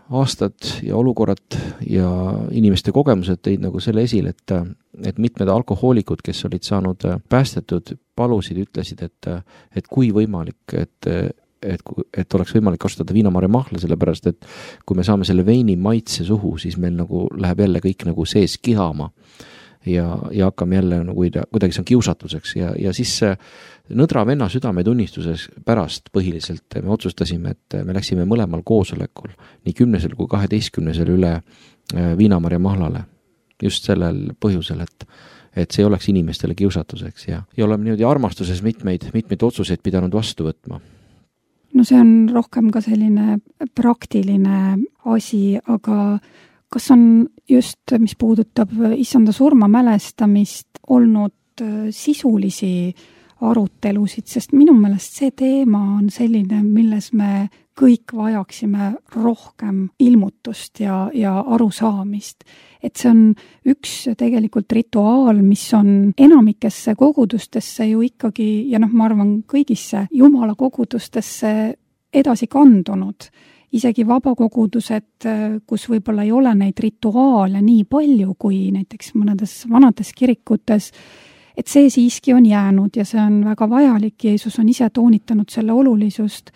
aastad ja olukorrad ja inimeste kogemused tõid nagu selle esil, et, et mitmed alkohoolikud, kes olid saanud päästetud, palusid, ütlesid, et, et kui võimalik, et, et, et oleks võimalik kasutada viinamarja mahla, sellepärast, et kui me saame selle veini maitse suhu, siis meil nagu läheb jälle kõik nagu sees kihama ja, ja hakkame jälle nagu kuidagi see on kiusatuseks ja, ja siis nõdra venna südametunnistuses pärast põhiliselt me otsustasime, et me läksime mõlemal koosolekul, nii kümnesel kui kaheteistkümnesel üle viinamarja mahlale. Just sellel põhjusel, et, et see oleks inimestele kiusatuseks ja, ja oleme niimoodi armastuses mitmeid, mitmeid otsuseid pidanud vastu võtma. No see on rohkem ka selline praktiline asi, aga kas on just, mis puudutab issanda surma mälestamist, olnud sisulisi arutelusid, sest minu meelest see teema on selline, milles me kõik vajaksime rohkem ilmutust ja, ja arusaamist. Et see on üks tegelikult rituaal, mis on enamikesse kogudustesse ju ikkagi, ja noh, ma arvan kõigisse Jumala kogudustesse edasi kandunud. Isegi vabakogudused, kus võib-olla ei ole neid rituaale nii palju kui näiteks mõnedes vanades kirikutes, et see siiski on jäänud ja see on väga vajalik. Jeesus on ise toonitanud selle olulisust,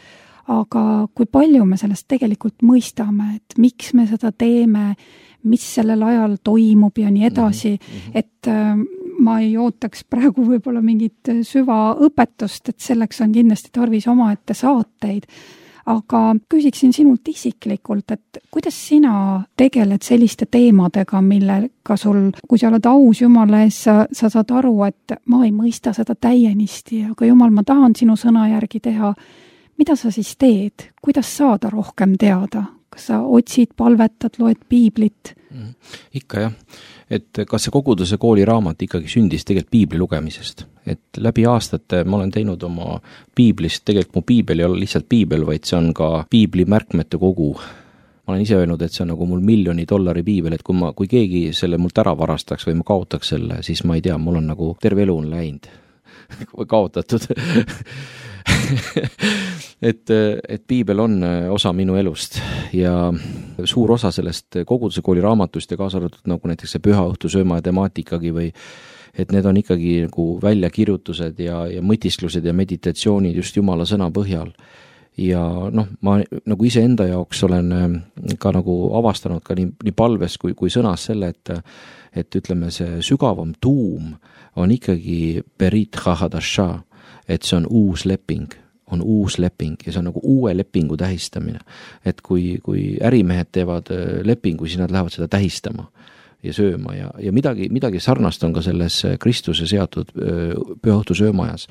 aga kui palju me sellest tegelikult mõistame, et miks me seda teeme, mis sellel ajal toimub ja nii edasi, mm-hmm. et ma ei ootaks praegu võib-olla mingit süvaõpetust, et selleks on kindlasti tarvis omaette saateid. Aga küsiksin sinult isiklikult, et kuidas sina tegeled selliste teemadega, millega sul, kui sa oled aus Jumala ees, sa, sa saad aru, et ma ei mõista seda täienisti, aga Jumal, ma tahan sinu sõna järgi teha. Mida sa siis teed? Kuidas saada rohkem teada? Kas sa otsid, palvetad, loed piiblit? Mm, ikka jah. Et kas see koguduse kooli raamat ikkagi sündis tegelikult piibli lugemisest. Et läbi aastate ma olen teinud oma piiblist, tegelikult mu piibel ei ole lihtsalt piibel, vaid see on ka piibli märkmete kogu. Ma olen ise öelnud, et see on nagu mul miljoni dollari piibel, et kui, ma, kui keegi selle mult ära varastaks või ma kaotaks selle, siis ma ei tea, mul on nagu terve elu on läinud kaotatud et, et piibel on osa minu elust ja suur osa sellest koguduse kooli raamatust ja kaasa arvatud nagu näiteks see püha õhtu sööma ja temaatikagi või et need on ikkagi nagu väljakirjutused ja, ja mõtisklused ja meditatsioonid just Jumala sõna põhjal. Ja noh, ma nagu ise enda jaoks olen ka nagu avastanud ka nii, nii palves kui, kui sõnas selle, et, et ütleme see sügavam tuum on ikkagi berit chahadasha, et see on uus leping, on uus leping ja see on nagu uue lepingu tähistamine. Et kui, kui ärimehed teevad lepingu, siis nad lähevad seda tähistama ja sööma ja, ja midagi, midagi sarnast on ka selles Kristuse seatud pühaõhtu söömajas.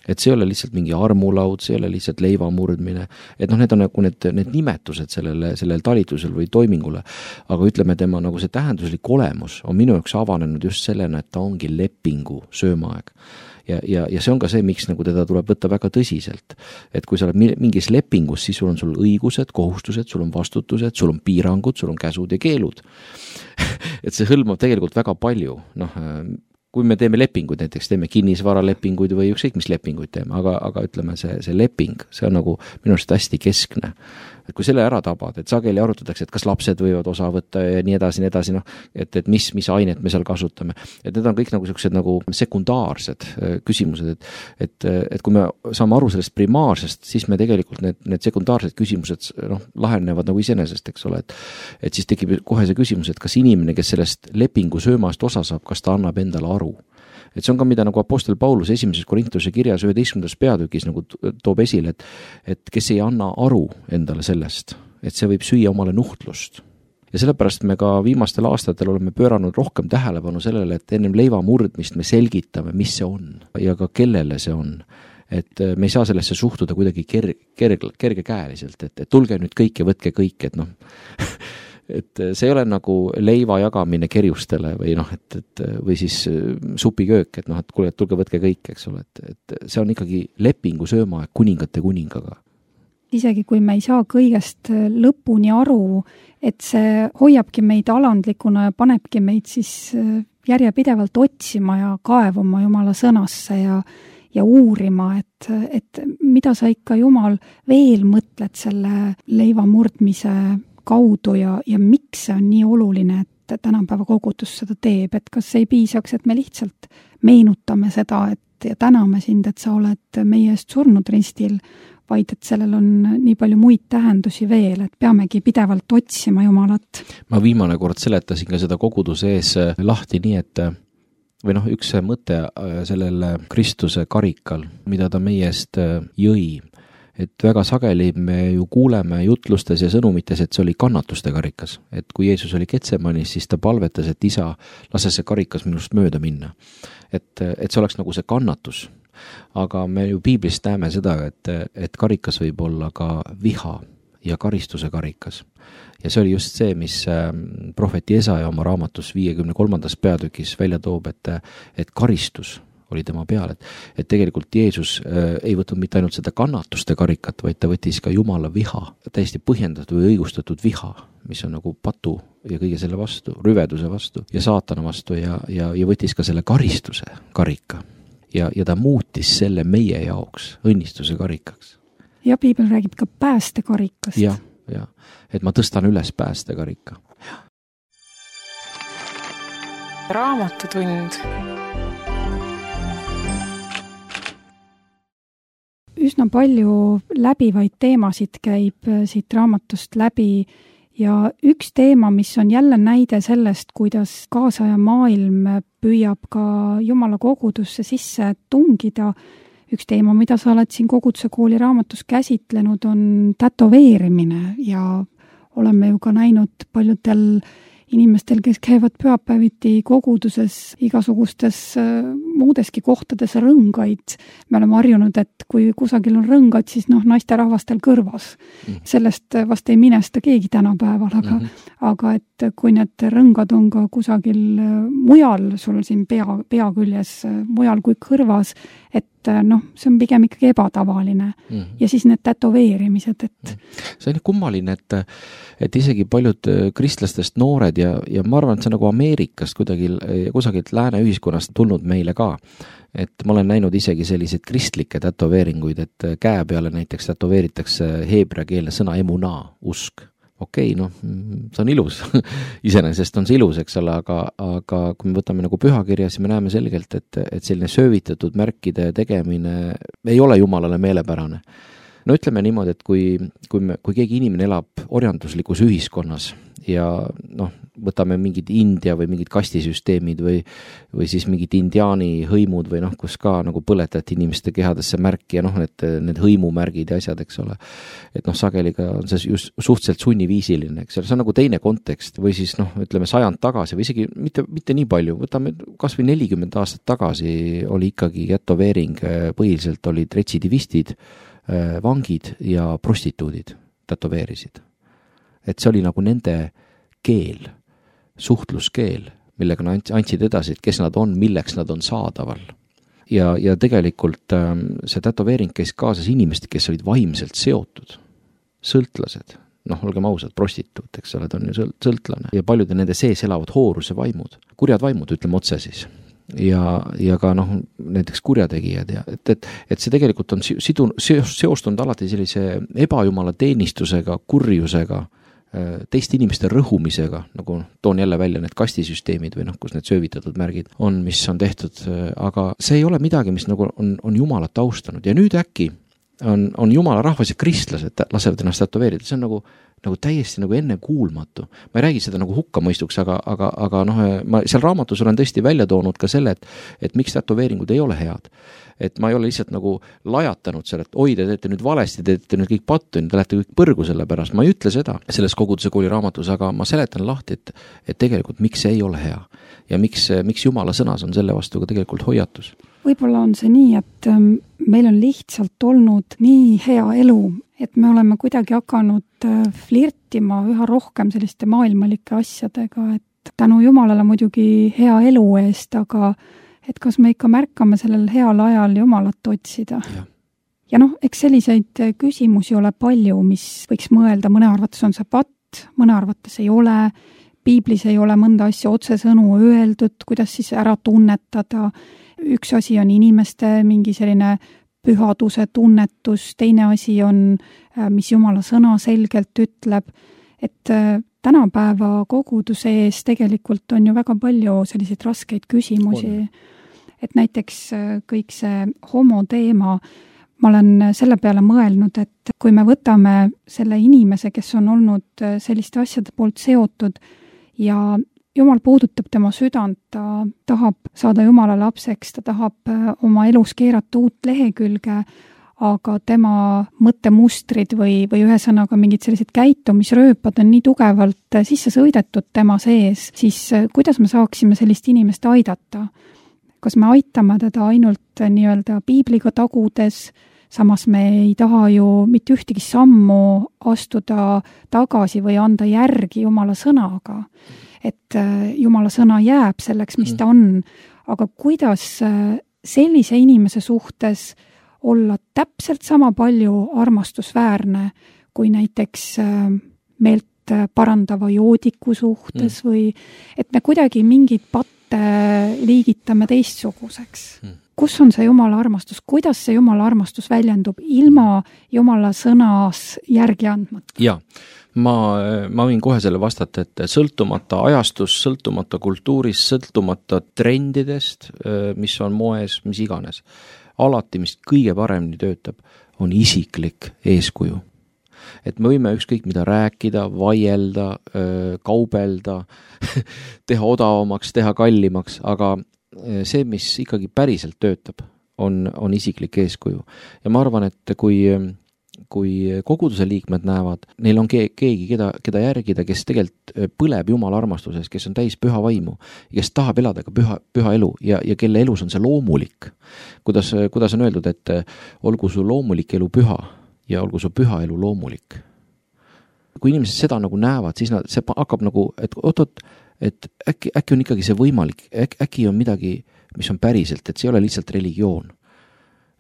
Et see ei ole lihtsalt mingi armulaud, see ei ole lihtsalt leiva murdmine, et noh, need on nagu need, need nimetused sellele, sellele talitusel või toimingule, aga ütleme, tema nagu see tähenduslik olemus on minu jaoks avanenud just sellena, et ta ongi lepingu söömaaeg. Ja, ja, ja see on ka see, miks nagu teda tuleb võtta väga tõsiselt. Et kui sa oled mingis lepingus, siis sul on sul õigused, kohustused, sul on vastutused, sul on piirangud, sul on käsud ja keelud. Et see hõlmab tegelikult väga palju, noh, kui me teeme lepinguid, näiteks teeme kinnisvaralepinguid või ükskõik mis lepinguid teeme, aga, aga ütleme, see, see leping, see on nagu minu arust hästi keskne. Et kui selle ära tabad, et sageli arutatakse, et kas lapsed võivad osa võtta ja nii edasi, nii edasi, noh, et, et mis, mis ainet me seal kasutame. Et need on kõik nagu sellised nagu sekundaarsed küsimused, et, et, et kui me saame aru sellest primaarsest, siis me tegelikult need, need sekundaarsed küsimused noh, lahenevad nagu iseenesest, eks ole, et, et siis tekib kohe see küsimus, et kas inimene, kes sellest lepingu söömast osa saab, kas ta annab endale aru. Et see on ka, mida nagu apostel Paulus esimeses Korintuse kirjas üheteistkümnendas peatükis nagu toob esile, et, et kes ei anna aru endale sellest, et see võib süüa omale nuhtlust. Ja sellepärast me ka viimastel aastatel oleme pööranud rohkem tähelepanu sellele, et ennem leiva murdmist me selgitame, mis see on ja ka kellele see on. Et me ei saa sellesse suhtuda kuidagi ker, ker, kergekäeliselt, et, et tulge nüüd kõik ja võtke kõik, et noh, et see ei ole nagu leiva jagamine kerjustele või noh, et, et või siis supiköök, et noh, et kuule, et tulge võtke kõik, eks ole, et, et see on ikkagi lepingu söömaaeg kuningate kuningaga. Isegi kui me ei saa kõigest lõpuni aru, et see hoiabki meid alandlikuna ja panebki meid siis järjepidevalt otsima ja kaevuma Jumala sõnasse ja ja uurima, et, et mida sa ikka Jumal veel mõtled selle leiva murdmise kaudu ja, ja miks see on nii oluline, et tänapäeva kogudus seda teeb, et kas ei piisaks, et me lihtsalt meenutame seda, et ja täname sind, et sa oled meie eest surnud ristil, vaid et sellel on nii palju muid tähendusi veel, et peamegi pidevalt otsima Jumalat. Ma viimane kord seletasin ka seda koguduse ees lahti nii, et või noh, üks mõte sellel Kristuse karikal, mida ta meie eest jõi, et väga sageli me ju kuuleme jutlustes ja sõnumites, et see oli kannatuste karikas. Et kui Jeesus oli Getsemanis, siis ta palvetas, et isa, lase see karikas minust mööda minna. Et, et see oleks nagu see kannatus. Aga me ju piiblist näeme seda, et, et karikas võib olla ka viha ja karistuse karikas. Ja see oli just see, mis prohvet Jesaja oma raamatus viiekümne kolmandas peatükis välja toob, et, et karistus oli tema peal, et, et tegelikult Jeesus äh, ei võtnud mitte ainult seda kannatuste karikat, vaid ta võttis ka Jumala viha, täiesti põhjendatud või õigustatud viha, mis on nagu patu ja kõige selle vastu, rüveduse vastu ja saatana vastu ja, ja, ja võttis ka selle karistuse karika ja, ja ta muutis selle meie jaoks õnnistuse karikaks. Ja piibel räägib ka päästekarikast. Ja, ja, et ma tõstan üles päästekarika. Raamatutund. Üsna palju läbivaid teemasid käib siit raamatust läbi ja üks teema, mis on jälle näide sellest, kuidas kaasaja maailm püüab ka Jumala kogudusse sisse tungida. Üks teema, mida sa oled siin Koguduse kooli raamatus käsitlenud, on tätoveerimine ja oleme ju ka näinud paljudel inimestel, kes käivad pühapäeviti koguduses igasugustes muudeski kohtades rõngaid. Me oleme harjunud, et kui kusagil on rõngad, siis noh, naisterahvastel kõrvas. Mm. Sellest vast ei minesta keegi tänapäeval, aga, mm-hmm. aga et kui need rõngad on ka kusagil mujal, sul siin pea, pea küljes mujal kui kõrvas, et noh, see on pigem ikkagi ebatavaline. Mm-hmm. Ja siis need tätoveerimised, et mm-hmm. see on kummaline, et, et isegi paljud kristlastest noored ja, ja ma arvan, et see nagu Ameerikast kuidagi, kusagilt lääne ühiskonnast tulnud meile ka. Et ma olen näinud isegi selliseid kristlikke tätoveeringuid, et käe peale näiteks tätoveeritakse heebreakeelne sõna emunaa, usk. Okei, noh, see on ilus. Iseenesest on see ilus, eks ole, aga, aga kui me võtame nagu pühakirja, siis me näeme selgelt, et, et selline söövitatud märkide tegemine ei ole Jumalale meelepärane. No ütleme niimoodi, et kui, kui, me, kui keegi inimene elab orjanduslikus ühiskonnas ja noh, võtame mingid India või mingid kastisüsteemid või, või siis mingid indiaani hõimud või noh, kus ka nagu põletati inimeste kehadesse märki ja noh, need, need hõimumärgid ja asjad, eks ole. Et noh, sageli ka on see just suhteliselt sunniviisiline, eks ole, see on nagu teine kontekst või siis noh, ütleme sajand tagasi või isegi mitte, mitte nii palju, võtame kas või nelikümmend aastat tagasi oli ikkagi tätoveering, põhiliselt olid retsidivistid, vangid ja prostituudid tätoveerisid. Et see oli nagu nende keel, suhtluskeel, millega nad andsid edasi, et kes nad on, milleks nad on saadaval. Ja, ja tegelikult see tätoveering käis kaasas inimesed, kes olid vaimselt seotud, sõltlased, noh, olgem ausad, prostituut, eks ole, ta on ju sõltlane ja paljude nende sees elavad hooruse vaimud, kurjad vaimud, ütleme otse siis. Ja, ja ka noh, näiteks kurjategijad ja et, et, et see tegelikult on sidun, seostunud alati sellise ebajumala teenistusega, kurjusega, teiste inimeste rõhumisega, nagu toon jälle välja need kastisüsteemid või noh, kus need söövitatud märgid on, mis on tehtud, aga see ei ole midagi, mis nagu on, on Jumalat austanud ja nüüd äkki on, on Jumala rahvas ja kristlased lasevad ennast tätoveerida, see on nagu, nagu täiesti nagu enne kuulmatu. Ma ei räägi seda nagu hukkamõistuks, aga, aga, aga noh, ma seal raamatus olen tõesti välja toonud ka selle, et, et miks tätoveeringud ei ole head. Et ma ei ole lihtsalt nagu lajatanud selle, et oi, te teete nüüd valesti, te teete nüüd kõik pattu, te lähete kõik põrgu selle pärast. Ma ei ütle seda selles Koguduse kooli raamatus, aga ma seletan lahti, et, et tegelikult miks see ei ole hea ja miks, miks Jumala sõnas on selle vastu ka tegelikult hoiatus. Võib-olla on see nii, et meil on lihtsalt olnud nii hea elu, et me oleme kuidagi hakanud flirtima üha rohkem selliste maailmalike asjadega, et tänu Jumalale muidugi hea elu eest, aga et kas me ikka märkame sellel heal ajal Jumalat otsida. Ja, ja noh, eks selliseid küsimusi ole palju, mis võiks mõelda, mõne arvates on see patt, mõne arvates ei ole, piiblis ei ole mõnda asja otsesõnu öeldud, kuidas siis ära tunnetada. Üks asi on inimeste mingi selline pühaduse tunnetus, teine asi on, mis Jumala sõna selgelt ütleb, et tänapäeva koguduse ees tegelikult on ju väga palju selliseid raskeid küsimusi. On. Et näiteks kõik see homo teema, ma olen selle peale mõelnud, et kui me võtame selle inimese, kes on olnud selliste asjade poolt seotud ja Jumal puudutab tema südant, ta tahab saada Jumala lapseks, ta tahab oma elus keerata uut lehekülge, aga tema mõttemustrid või, või ühesõnaga mingid sellised käitumisrööpad on nii tugevalt sisse sõidetud tema sees, siis kuidas me saaksime sellist inimest aidata? Kas me aitame teda ainult nii-öelda piibliga tagudes, samas me ei taha ju mitte ühtegi sammu astuda tagasi või anda järgi Jumala sõnaga. Et Jumala sõna jääb selleks, mis ta on, aga kuidas sellise inimese suhtes olla täpselt sama palju armastusväärne kui näiteks meelt parandava joodiku suhtes mm. või et me kuidagi mingid patte liigitame teistsuguseks. Mm. Kus on see Jumala armastus? Kuidas see Jumala armastus väljendub ilma Jumala sõnas järgi andmata? Jaa, ma, ma võin kohe selle vastata, et sõltumata ajastus, sõltumata kultuurist, sõltumata trendidest, mis on moes, mis iganes, alati, mis kõige paremini töötab, on isiklik eeskuju. Et me võime ükskõik mida rääkida, vaielda, kaubelda, teha odavamaks, teha kallimaks, aga see, mis ikkagi päriselt töötab, on, on isiklik eeskuju. Ja ma arvan, et kui, kui koguduse liikmed näevad, neil on keegi, keda, keda järgida, kes tegelikult põleb Jumala armastuses, kes on täis püha vaimu, kes tahab elada ka püha, püha elu ja, ja kelle elus on see loomulik. Kuidas, kuidas on öeldud, et olgu su loomulik elu püha ja olgu su püha elu loomulik. Kui inimesed seda nagu näevad, siis nad, see hakkab nagu, et oot-oot, et äkki, äkki on ikkagi see võimalik, äkki, äkki on midagi, mis on päriselt, et see ei ole lihtsalt religioon.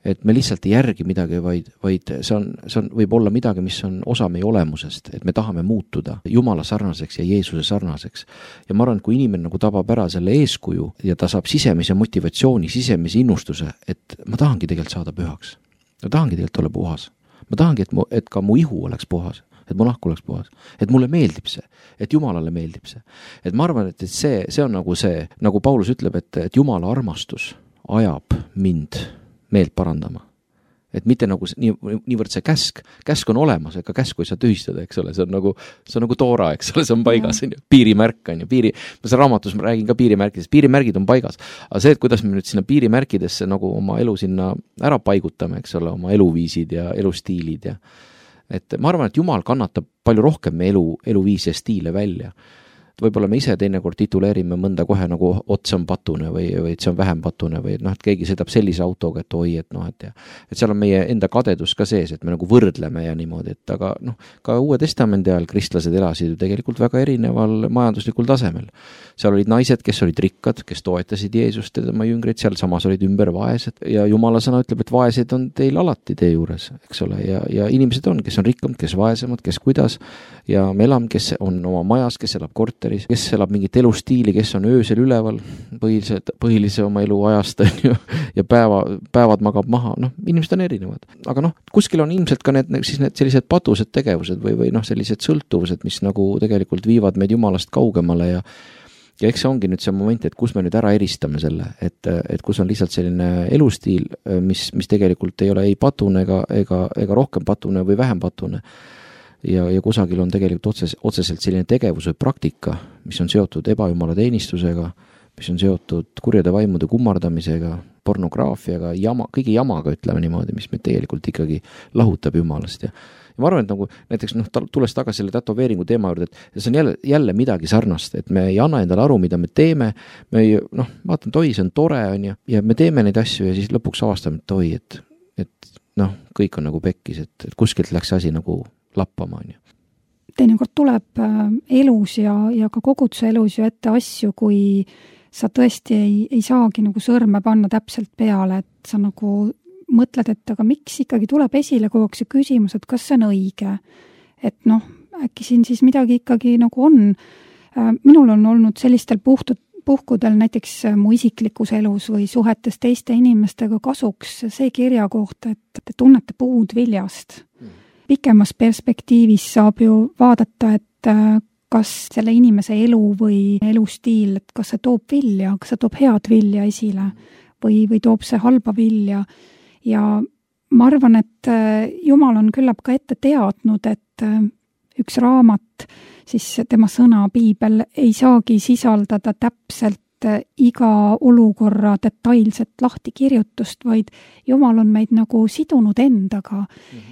Et me lihtsalt ei järgi midagi, vaid, vaid see, on, see on, võib olla midagi, mis on osa meie olemusest, et me tahame muutuda Jumala sarnaseks ja Jeesuse sarnaseks. Ja ma arvan, et kui inimene nagu tabab ära selle eeskuju ja ta saab sisemise motivatsiooni, sisemise innustuse, et ma tahangi tegelikult saada pühaks. Ma tahangi tegelikult olla puhas. Ma tahangi, et, mu, et ka mu ihu oleks puhas. Et mu nahk oleks puhas, et mulle meeldib see, et Jumalale meeldib see. Et ma arvan, et see, see on nagu see, nagu Paulus ütleb, et, et Jumala armastus ajab mind meelt parandama. Et mitte nagu nii, niivõrd see käsk, käsk on olemas, ega käsku ei saa tühistada, eks ole, see on nagu, see on nagu toora, eks ole, see on paigas, on ju, piirimärk on ju, piiri, ma seal raamatus ma räägin ka piirimärkidest, piirimärgid on paigas, aga see, et kuidas me nüüd sinna piirimärkidesse nagu oma elu sinna ära paigutame, eks ole, oma eluviisid ja elustiilid ja et ma arvan, et Jumal kannatab palju rohkem me elu, eluviisi ja stiile välja. Võib-olla me ise teinekord tituleerime mõnda kohe nagu otse on patune või, või et see on vähem patune või et noh, et keegi sõidab sellise autoga, et oi, et noh, et, ja, et seal on meie enda kadedus ka sees, et me nagu võrdleme ja niimoodi, et aga noh, ka Uue Testamendi ajal kristlased elasid ju tegelikult väga erineval majanduslikul tasemel. Seal olid naised, kes olid rikkad, kes toetasid Jeesust ja tema jüngreid, seal samas olid ümber vaesed ja Jumala sõna ütleb, et vaesed on teil alati tee juures, eks ole, ja, ja inimesed on, kes on rikkamad, kes vaesemad, kes kuidas ja me elame, kes on oma majas, kes elab korteris, kes elab mingit elustiili, kes on öösel üleval põhilised, põhilise oma elu ajast ja, ja päeva, päevad magab maha, noh, inimesed on erinevad. Aga noh, kuskil on ilmselt ka need, siis need sellised patused tegevused või, või noh, sellised sõltuvused, mis nagu tegelikult viivad meid Jumalast kaugemale ja ja eks see ongi nüüd see moment, et kus me nüüd ära eristame selle, et, et kus on lihtsalt selline elustiil, mis, mis tegelikult ei ole ei patune ega, ega, ega rohkem patune või vähem patune. Ja, ja kusagil on tegelikult otses, otseselt selline tegevus või praktika, mis on seotud ebajumala teenistusega, mis on seotud kurjade vaimude kummardamisega, pornograafiaga, jama, kõigi jamaga, ütleme niimoodi, mis meid tegelikult ikkagi lahutab Jumalast. Ja, ja ma arvan, et nagu näiteks noh, tulles tagasi selle tätoveeringu teema juurde, et see on jälle, jälle midagi sarnast, et me ei anna endale aru, mida me teeme, me ei, noh, vaatan, et oi, see on tore, on ju, ja me teeme neid asju ja siis lõpuks avastame, et oi, et, et noh, kõik on nagu pekkis, et, et kuskilt läks asi nagu lappama, on ju. Teinekord tuleb elus ja, ja ka koguduse elus ju ette asju, kui sa tõesti ei, ei saagi nagu sõrme panna täpselt peale, et sa nagu mõtled, et aga miks ikkagi tuleb esile kogu aeg see küsimus, et kas see on õige. Et noh, äkki siin siis midagi ikkagi nagu on. Minul on olnud sellistel puhtud, puhkudel näiteks mu isiklikus elus või suhetes teiste inimestega kasuks see kirja kohta, et te tunnete puud viljast. Pikemas perspektiivis saab ju vaadata, et kas selle inimese elu või elustiil, et kas see toob vilja, kas see toob head vilja esile või, või toob see halba vilja. Ja ma arvan, et Jumal on küllap ka ette teadnud, et üks raamat, siis tema sõna, piibel, ei saagi sisaldada täpselt iga olukorra detailset lahtikirjutust, vaid Jumal on meid nagu sidunud endaga,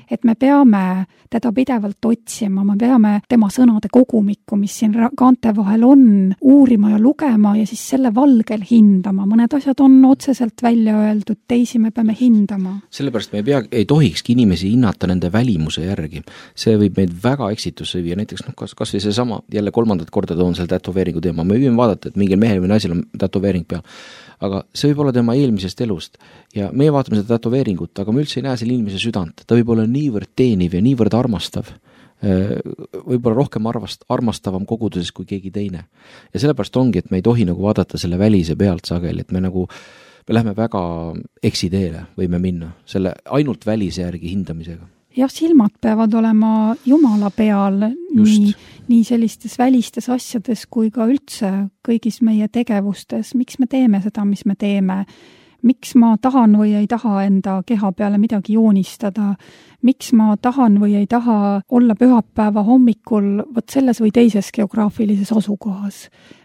et me peame teda pidevalt otsima, me peame tema sõnade kogumikku, mis siin kaante vahel on, uurima ja lugema ja siis selle valgel hindama. Mõned asjad on otseselt välja öeldud, teisi me peame hindama. Sellepärast me ei, pea, ei tohikski inimesi hinnata nende välimuse järgi. See võib meid väga eksitusse viia, näiteks noh, kas, kas või see sama, jälle kolmandat korda toon selle tätoveeringu teema, me võime vaadata, et mingil mehel või naisel on on tätoveering peal. Aga see võib olla tema eelmisest elust ja meie vaatame seda tätoveeringut, aga me üldse ei näe selle inimese südant. Ta võib olla niivõrd teeniv ja niivõrd armastav, võib-olla rohkem arvast, armastavam koguduses kui keegi teine. Ja sellepärast ongi, et me ei tohi nagu vaadata selle välise pealt sageli, et me nagu me lähme väga eksiteele, võime minna selle ainult välise järgi hindamisega. Jah, silmad peavad olema Jumala peal nii, nii sellistes välistes asjades kui ka üldse kõigis meie tegevustes. Miks me teeme seda, mis me teeme? Miks ma tahan või ei taha enda keha peale midagi joonistada? Miks ma tahan või ei taha olla pühapäeva hommikul võt selles või teises geograafilises asukohas?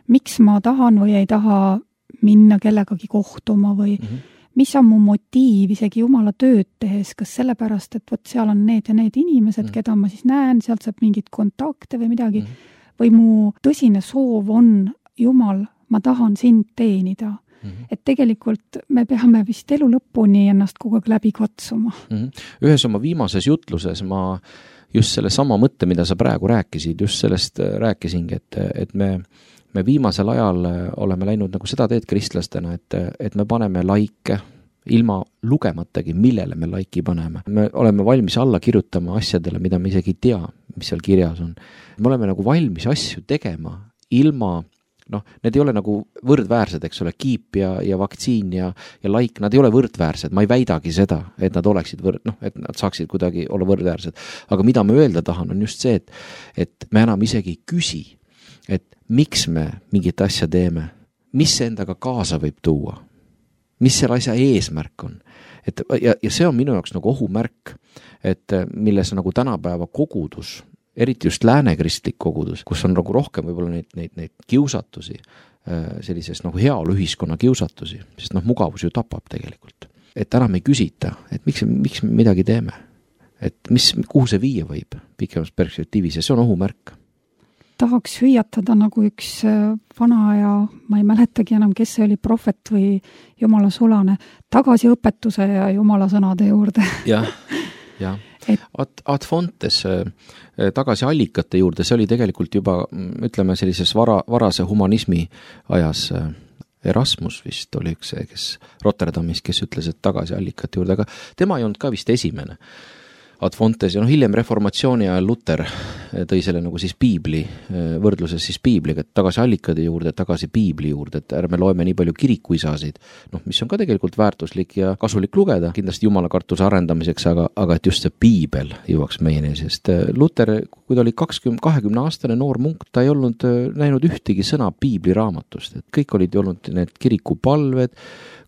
Miks ma tahan või ei taha minna kellegagi kohtuma või mm-hmm. mis on mu motiiv isegi Jumala tööd tehes, kas sellepärast, et võt seal on need ja need inimesed, mm. keda ma siis näen, sealt saab mingit kontakte või midagi, mm. või mu tõsine soov on, Jumal, ma tahan sind teenida. Mm. Et tegelikult me peame vist elu lõpuni ennast kogu aeg läbi katsuma. Mm. Ühes oma viimases jutluses ma just selle sama mõtte, mida sa praegu rääkisid, just sellest rääkisingi, et, et me me viimasel ajal oleme läinud nagu seda teed kristlastena, et, et me paneme laike ilma lugematagi, millele me laiki paneme. Me oleme valmis alla kirjutama asjadele, mida me isegi ei tea, mis seal kirjas on. Me oleme nagu valmis asju tegema ilma, noh, need ei ole nagu võrdväärsed, eks ole, kiip ja, ja vaktsiin ja, ja laik, nad ei ole võrdväärsed. Ma ei väidagi seda, et nad oleksid võrd, noh, et nad saaksid kuidagi olla võrdväärsed. Aga mida me öelda tahan, on just see, et, et me enam isegi ei küsi, et miks me mingit asja teeme, mis see endaga kaasa võib tuua, mis selle asja eesmärk on. Et, ja, ja see on minu jaoks nagu ohumärk, et milles nagu tänapäeva kogudus, eriti just läänekristlik kogudus, kus on nagu rohkem võib-olla neid, neid, neid kiusatusi, sellises nagu heaolu ühiskonna kiusatusi, sest noh, mugavus ju tapab tegelikult. Et enam ei küsita, et miks, miks me midagi teeme, et mis, kuhu see viia võib pikemas perspektiivis ja see on ohumärk. Tahaks hüüatada nagu üks vana ja ma ei mäletagi enam, kes see oli, prohvet või Jumala sulane, tagasi õpetuse ja Jumala sõnade juurde. Jah, jah. Et... Ad, ad fontes tagasi allikate juurde, see oli tegelikult juba, ütleme, sellises vara, varase humanismi ajas Erasmus vist oli üks see, kes Rotterdamis, kes ütles, et tagasi allikate juurde, aga tema ei olnud ka vist esimene. Ad fontes ja noh, hiljem reformatsiooni ajal Luther tõi selle nagu siis piibli, võrdluses siis piibliga, et tagasi allikade juurde, tagasi piibli juurde, et ärme loeme nii palju kirikuisasid, noh, mis on ka tegelikult väärtuslik ja kasulik lugeda, kindlasti jumalakartuse arendamiseks, aga, aga et just see piibel jõuaks meieni, sest Luther, kui ta oli kakskümmend, kahekümne aastane noor munk, ta ei olnud näinud ühtegi sõna piibli raamatust, et kõik olid olnud need kirikupalved,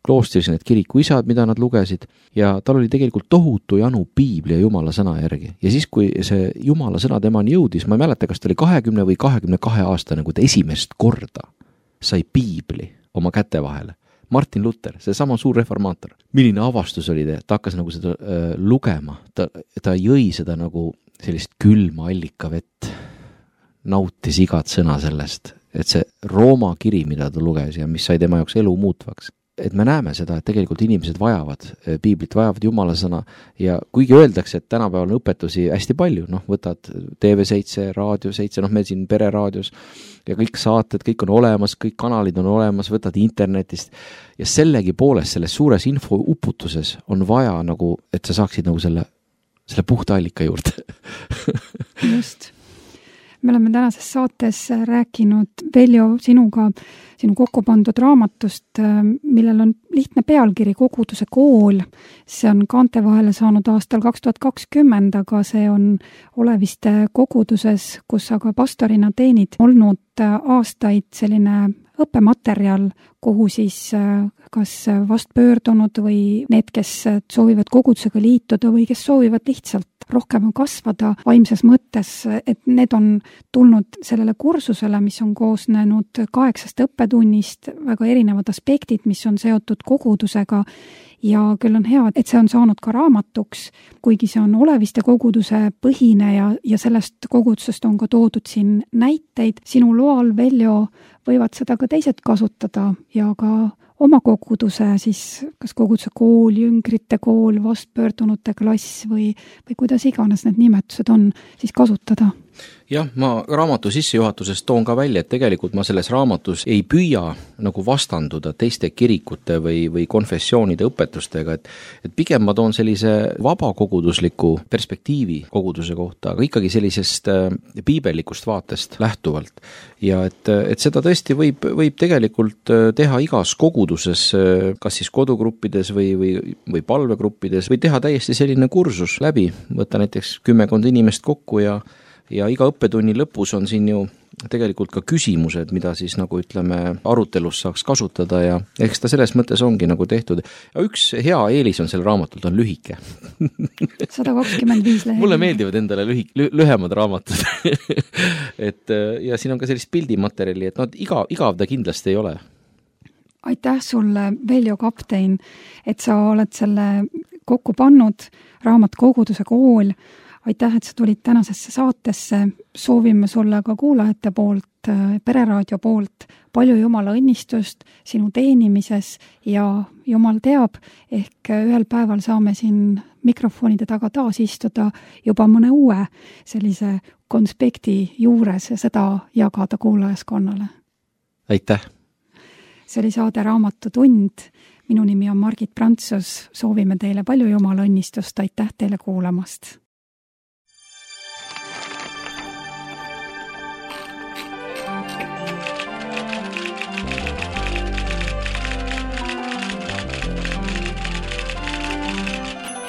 kloostris need kirikuisad, mida nad lugesid ja tal oli tegelikult tohutu janu piibli ja Jumala sõna järgi. Ja siis, kui see Jumala sõna temani jõudis, ma ei mäleta, kas ta oli kahekümne või kahekümne kahe aastane, kui ta esimest korda sai piibli oma käte vahele. Martin Luther, see sama suur reformaator. Milline avastus oli ta, ta hakkas nagu seda äh, lugema, ta, ta jõi seda nagu sellist külma allikavett, nautis igat sõna sellest, et see Rooma kiri, mida ta luges ja mis sai tema jaoks elu muutvaks. Et me näeme seda, et tegelikult inimesed vajavad piiblit, vajavad Jumala sõna ja kuigi öeldakse, et tänapäeval on õpetusi hästi palju, noh, võtad T V seitse, Raadio seitse, noh, meil siin pereraadios ja kõik saated, kõik on olemas, kõik kanalid on olemas, võtad internetist ja sellegi poolest selles suures info uputuses on vaja nagu, et sa saaksid nagu selle, selle puhta allika juurde. Just. Me oleme tänases saates rääkinud Veljo sinuga, sinu kokku pandud raamatust, millel on lihtne pealkiri Koguduse kool. See on kaante vahele saanud aastal kaks tuhat kakskümmend, aga see on Oleviste koguduses, kus aga pastorina teenid olnud aastaid selline õppematerjal, kuhu siis kas vast pöördunud või need, kes soovivad kogudusega liituda või kes soovivad lihtsalt rohkem kasvada vaimses mõttes, et need on tulnud sellele kursusele, mis on koosnenud kaheksast õppetunnist, väga erinevad aspektid, mis on seotud kogudusega ja küll on hea, et see on saanud ka raamatuks, kuigi see on Oleviste koguduse põhine ja, ja sellest kogudusest on ka toodud siin näiteid. Sinu loal, Veljo, võivad seda ka teised kasutada ja ka oma koguduse, siis kas koguduse kool, jüngrite kool, vastpöördunute klass või, või kuidas iganes need nimetused on, siis kasutada. Jah, ma raamatu sissejuhatuses toon ka välja, et tegelikult ma selles raamatus ei püüa nagu vastanduda teiste kirikute või, või konfessioonide õpetustega, et, et pigem ma toon sellise vabakogudusliku perspektiivi koguduse kohta, aga ikkagi sellisest piibellikust vaatest lähtuvalt. Ja et, et seda tõesti võib, võib tegelikult teha igas koguduses, kas siis kodugruppides või, või, või palvegruppides, või teha täiesti selline kursus läbi, võtta näiteks kümmekond inimest kokku ja ja iga õppetunni lõpus on siin ju tegelikult ka küsimused, mida siis nagu ütleme arutelus saaks kasutada ja eks ta selles mõttes ongi nagu tehtud. Ja üks hea eelis on sel raamatult on lühike. sada kakskümmend viis lehekülge. Mulle meeldivad endale lühik, lü, lühemad raamatud. et ja siin on ka sellist pildimaterjali, et no, iga, igav ta kindlasti ei ole. Aitäh sulle, Veljo Kaptein, et sa oled selle kokku pannud, raamat Koguduse kool. Aitäh, et sa tulid tänasesse saatesse, soovime sulle ka kuulajate poolt, Pereraadio poolt palju Jumala õnnistust sinu teenimises ja Jumal teab, ehk ühel päeval saame siin mikrofonide taga taas istuda juba mõne uue sellise konspekti juures ja seda jagada kuulajaskonnale. Aitäh! See oli saade Raamatutund. Minu nimi on Margit Prantsus, soovime teile palju Jumala õnnistust, aitäh teile kuulamast!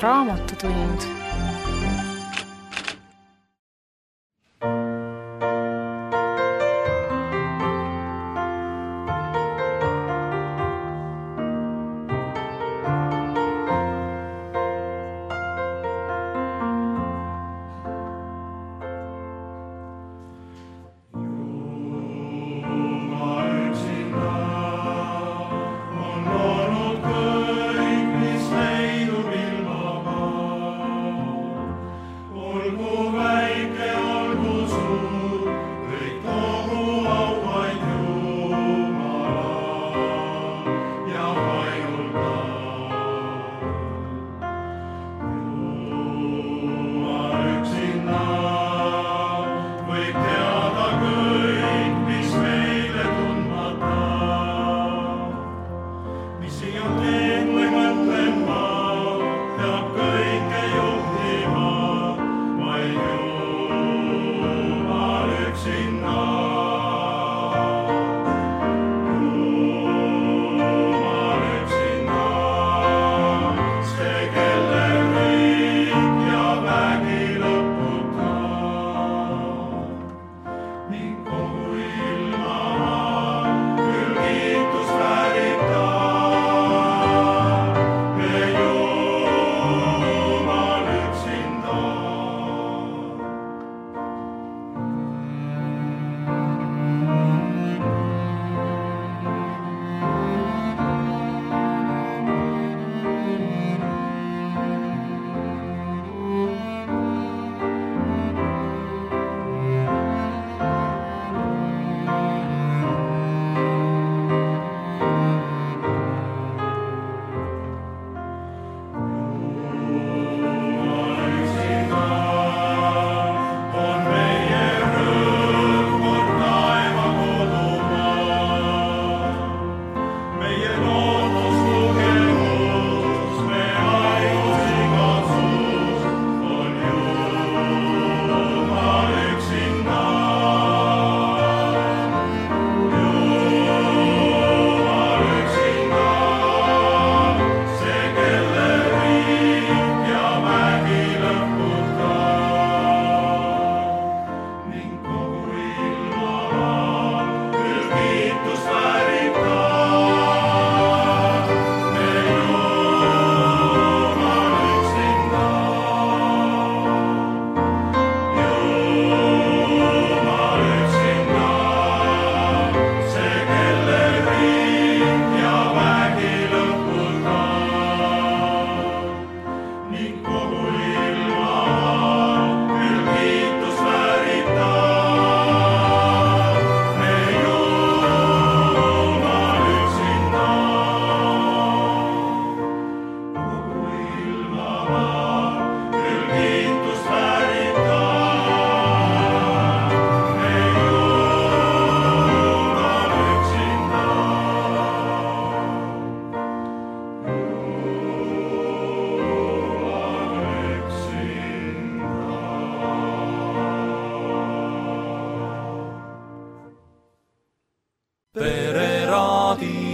Raamatutund.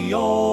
raadio.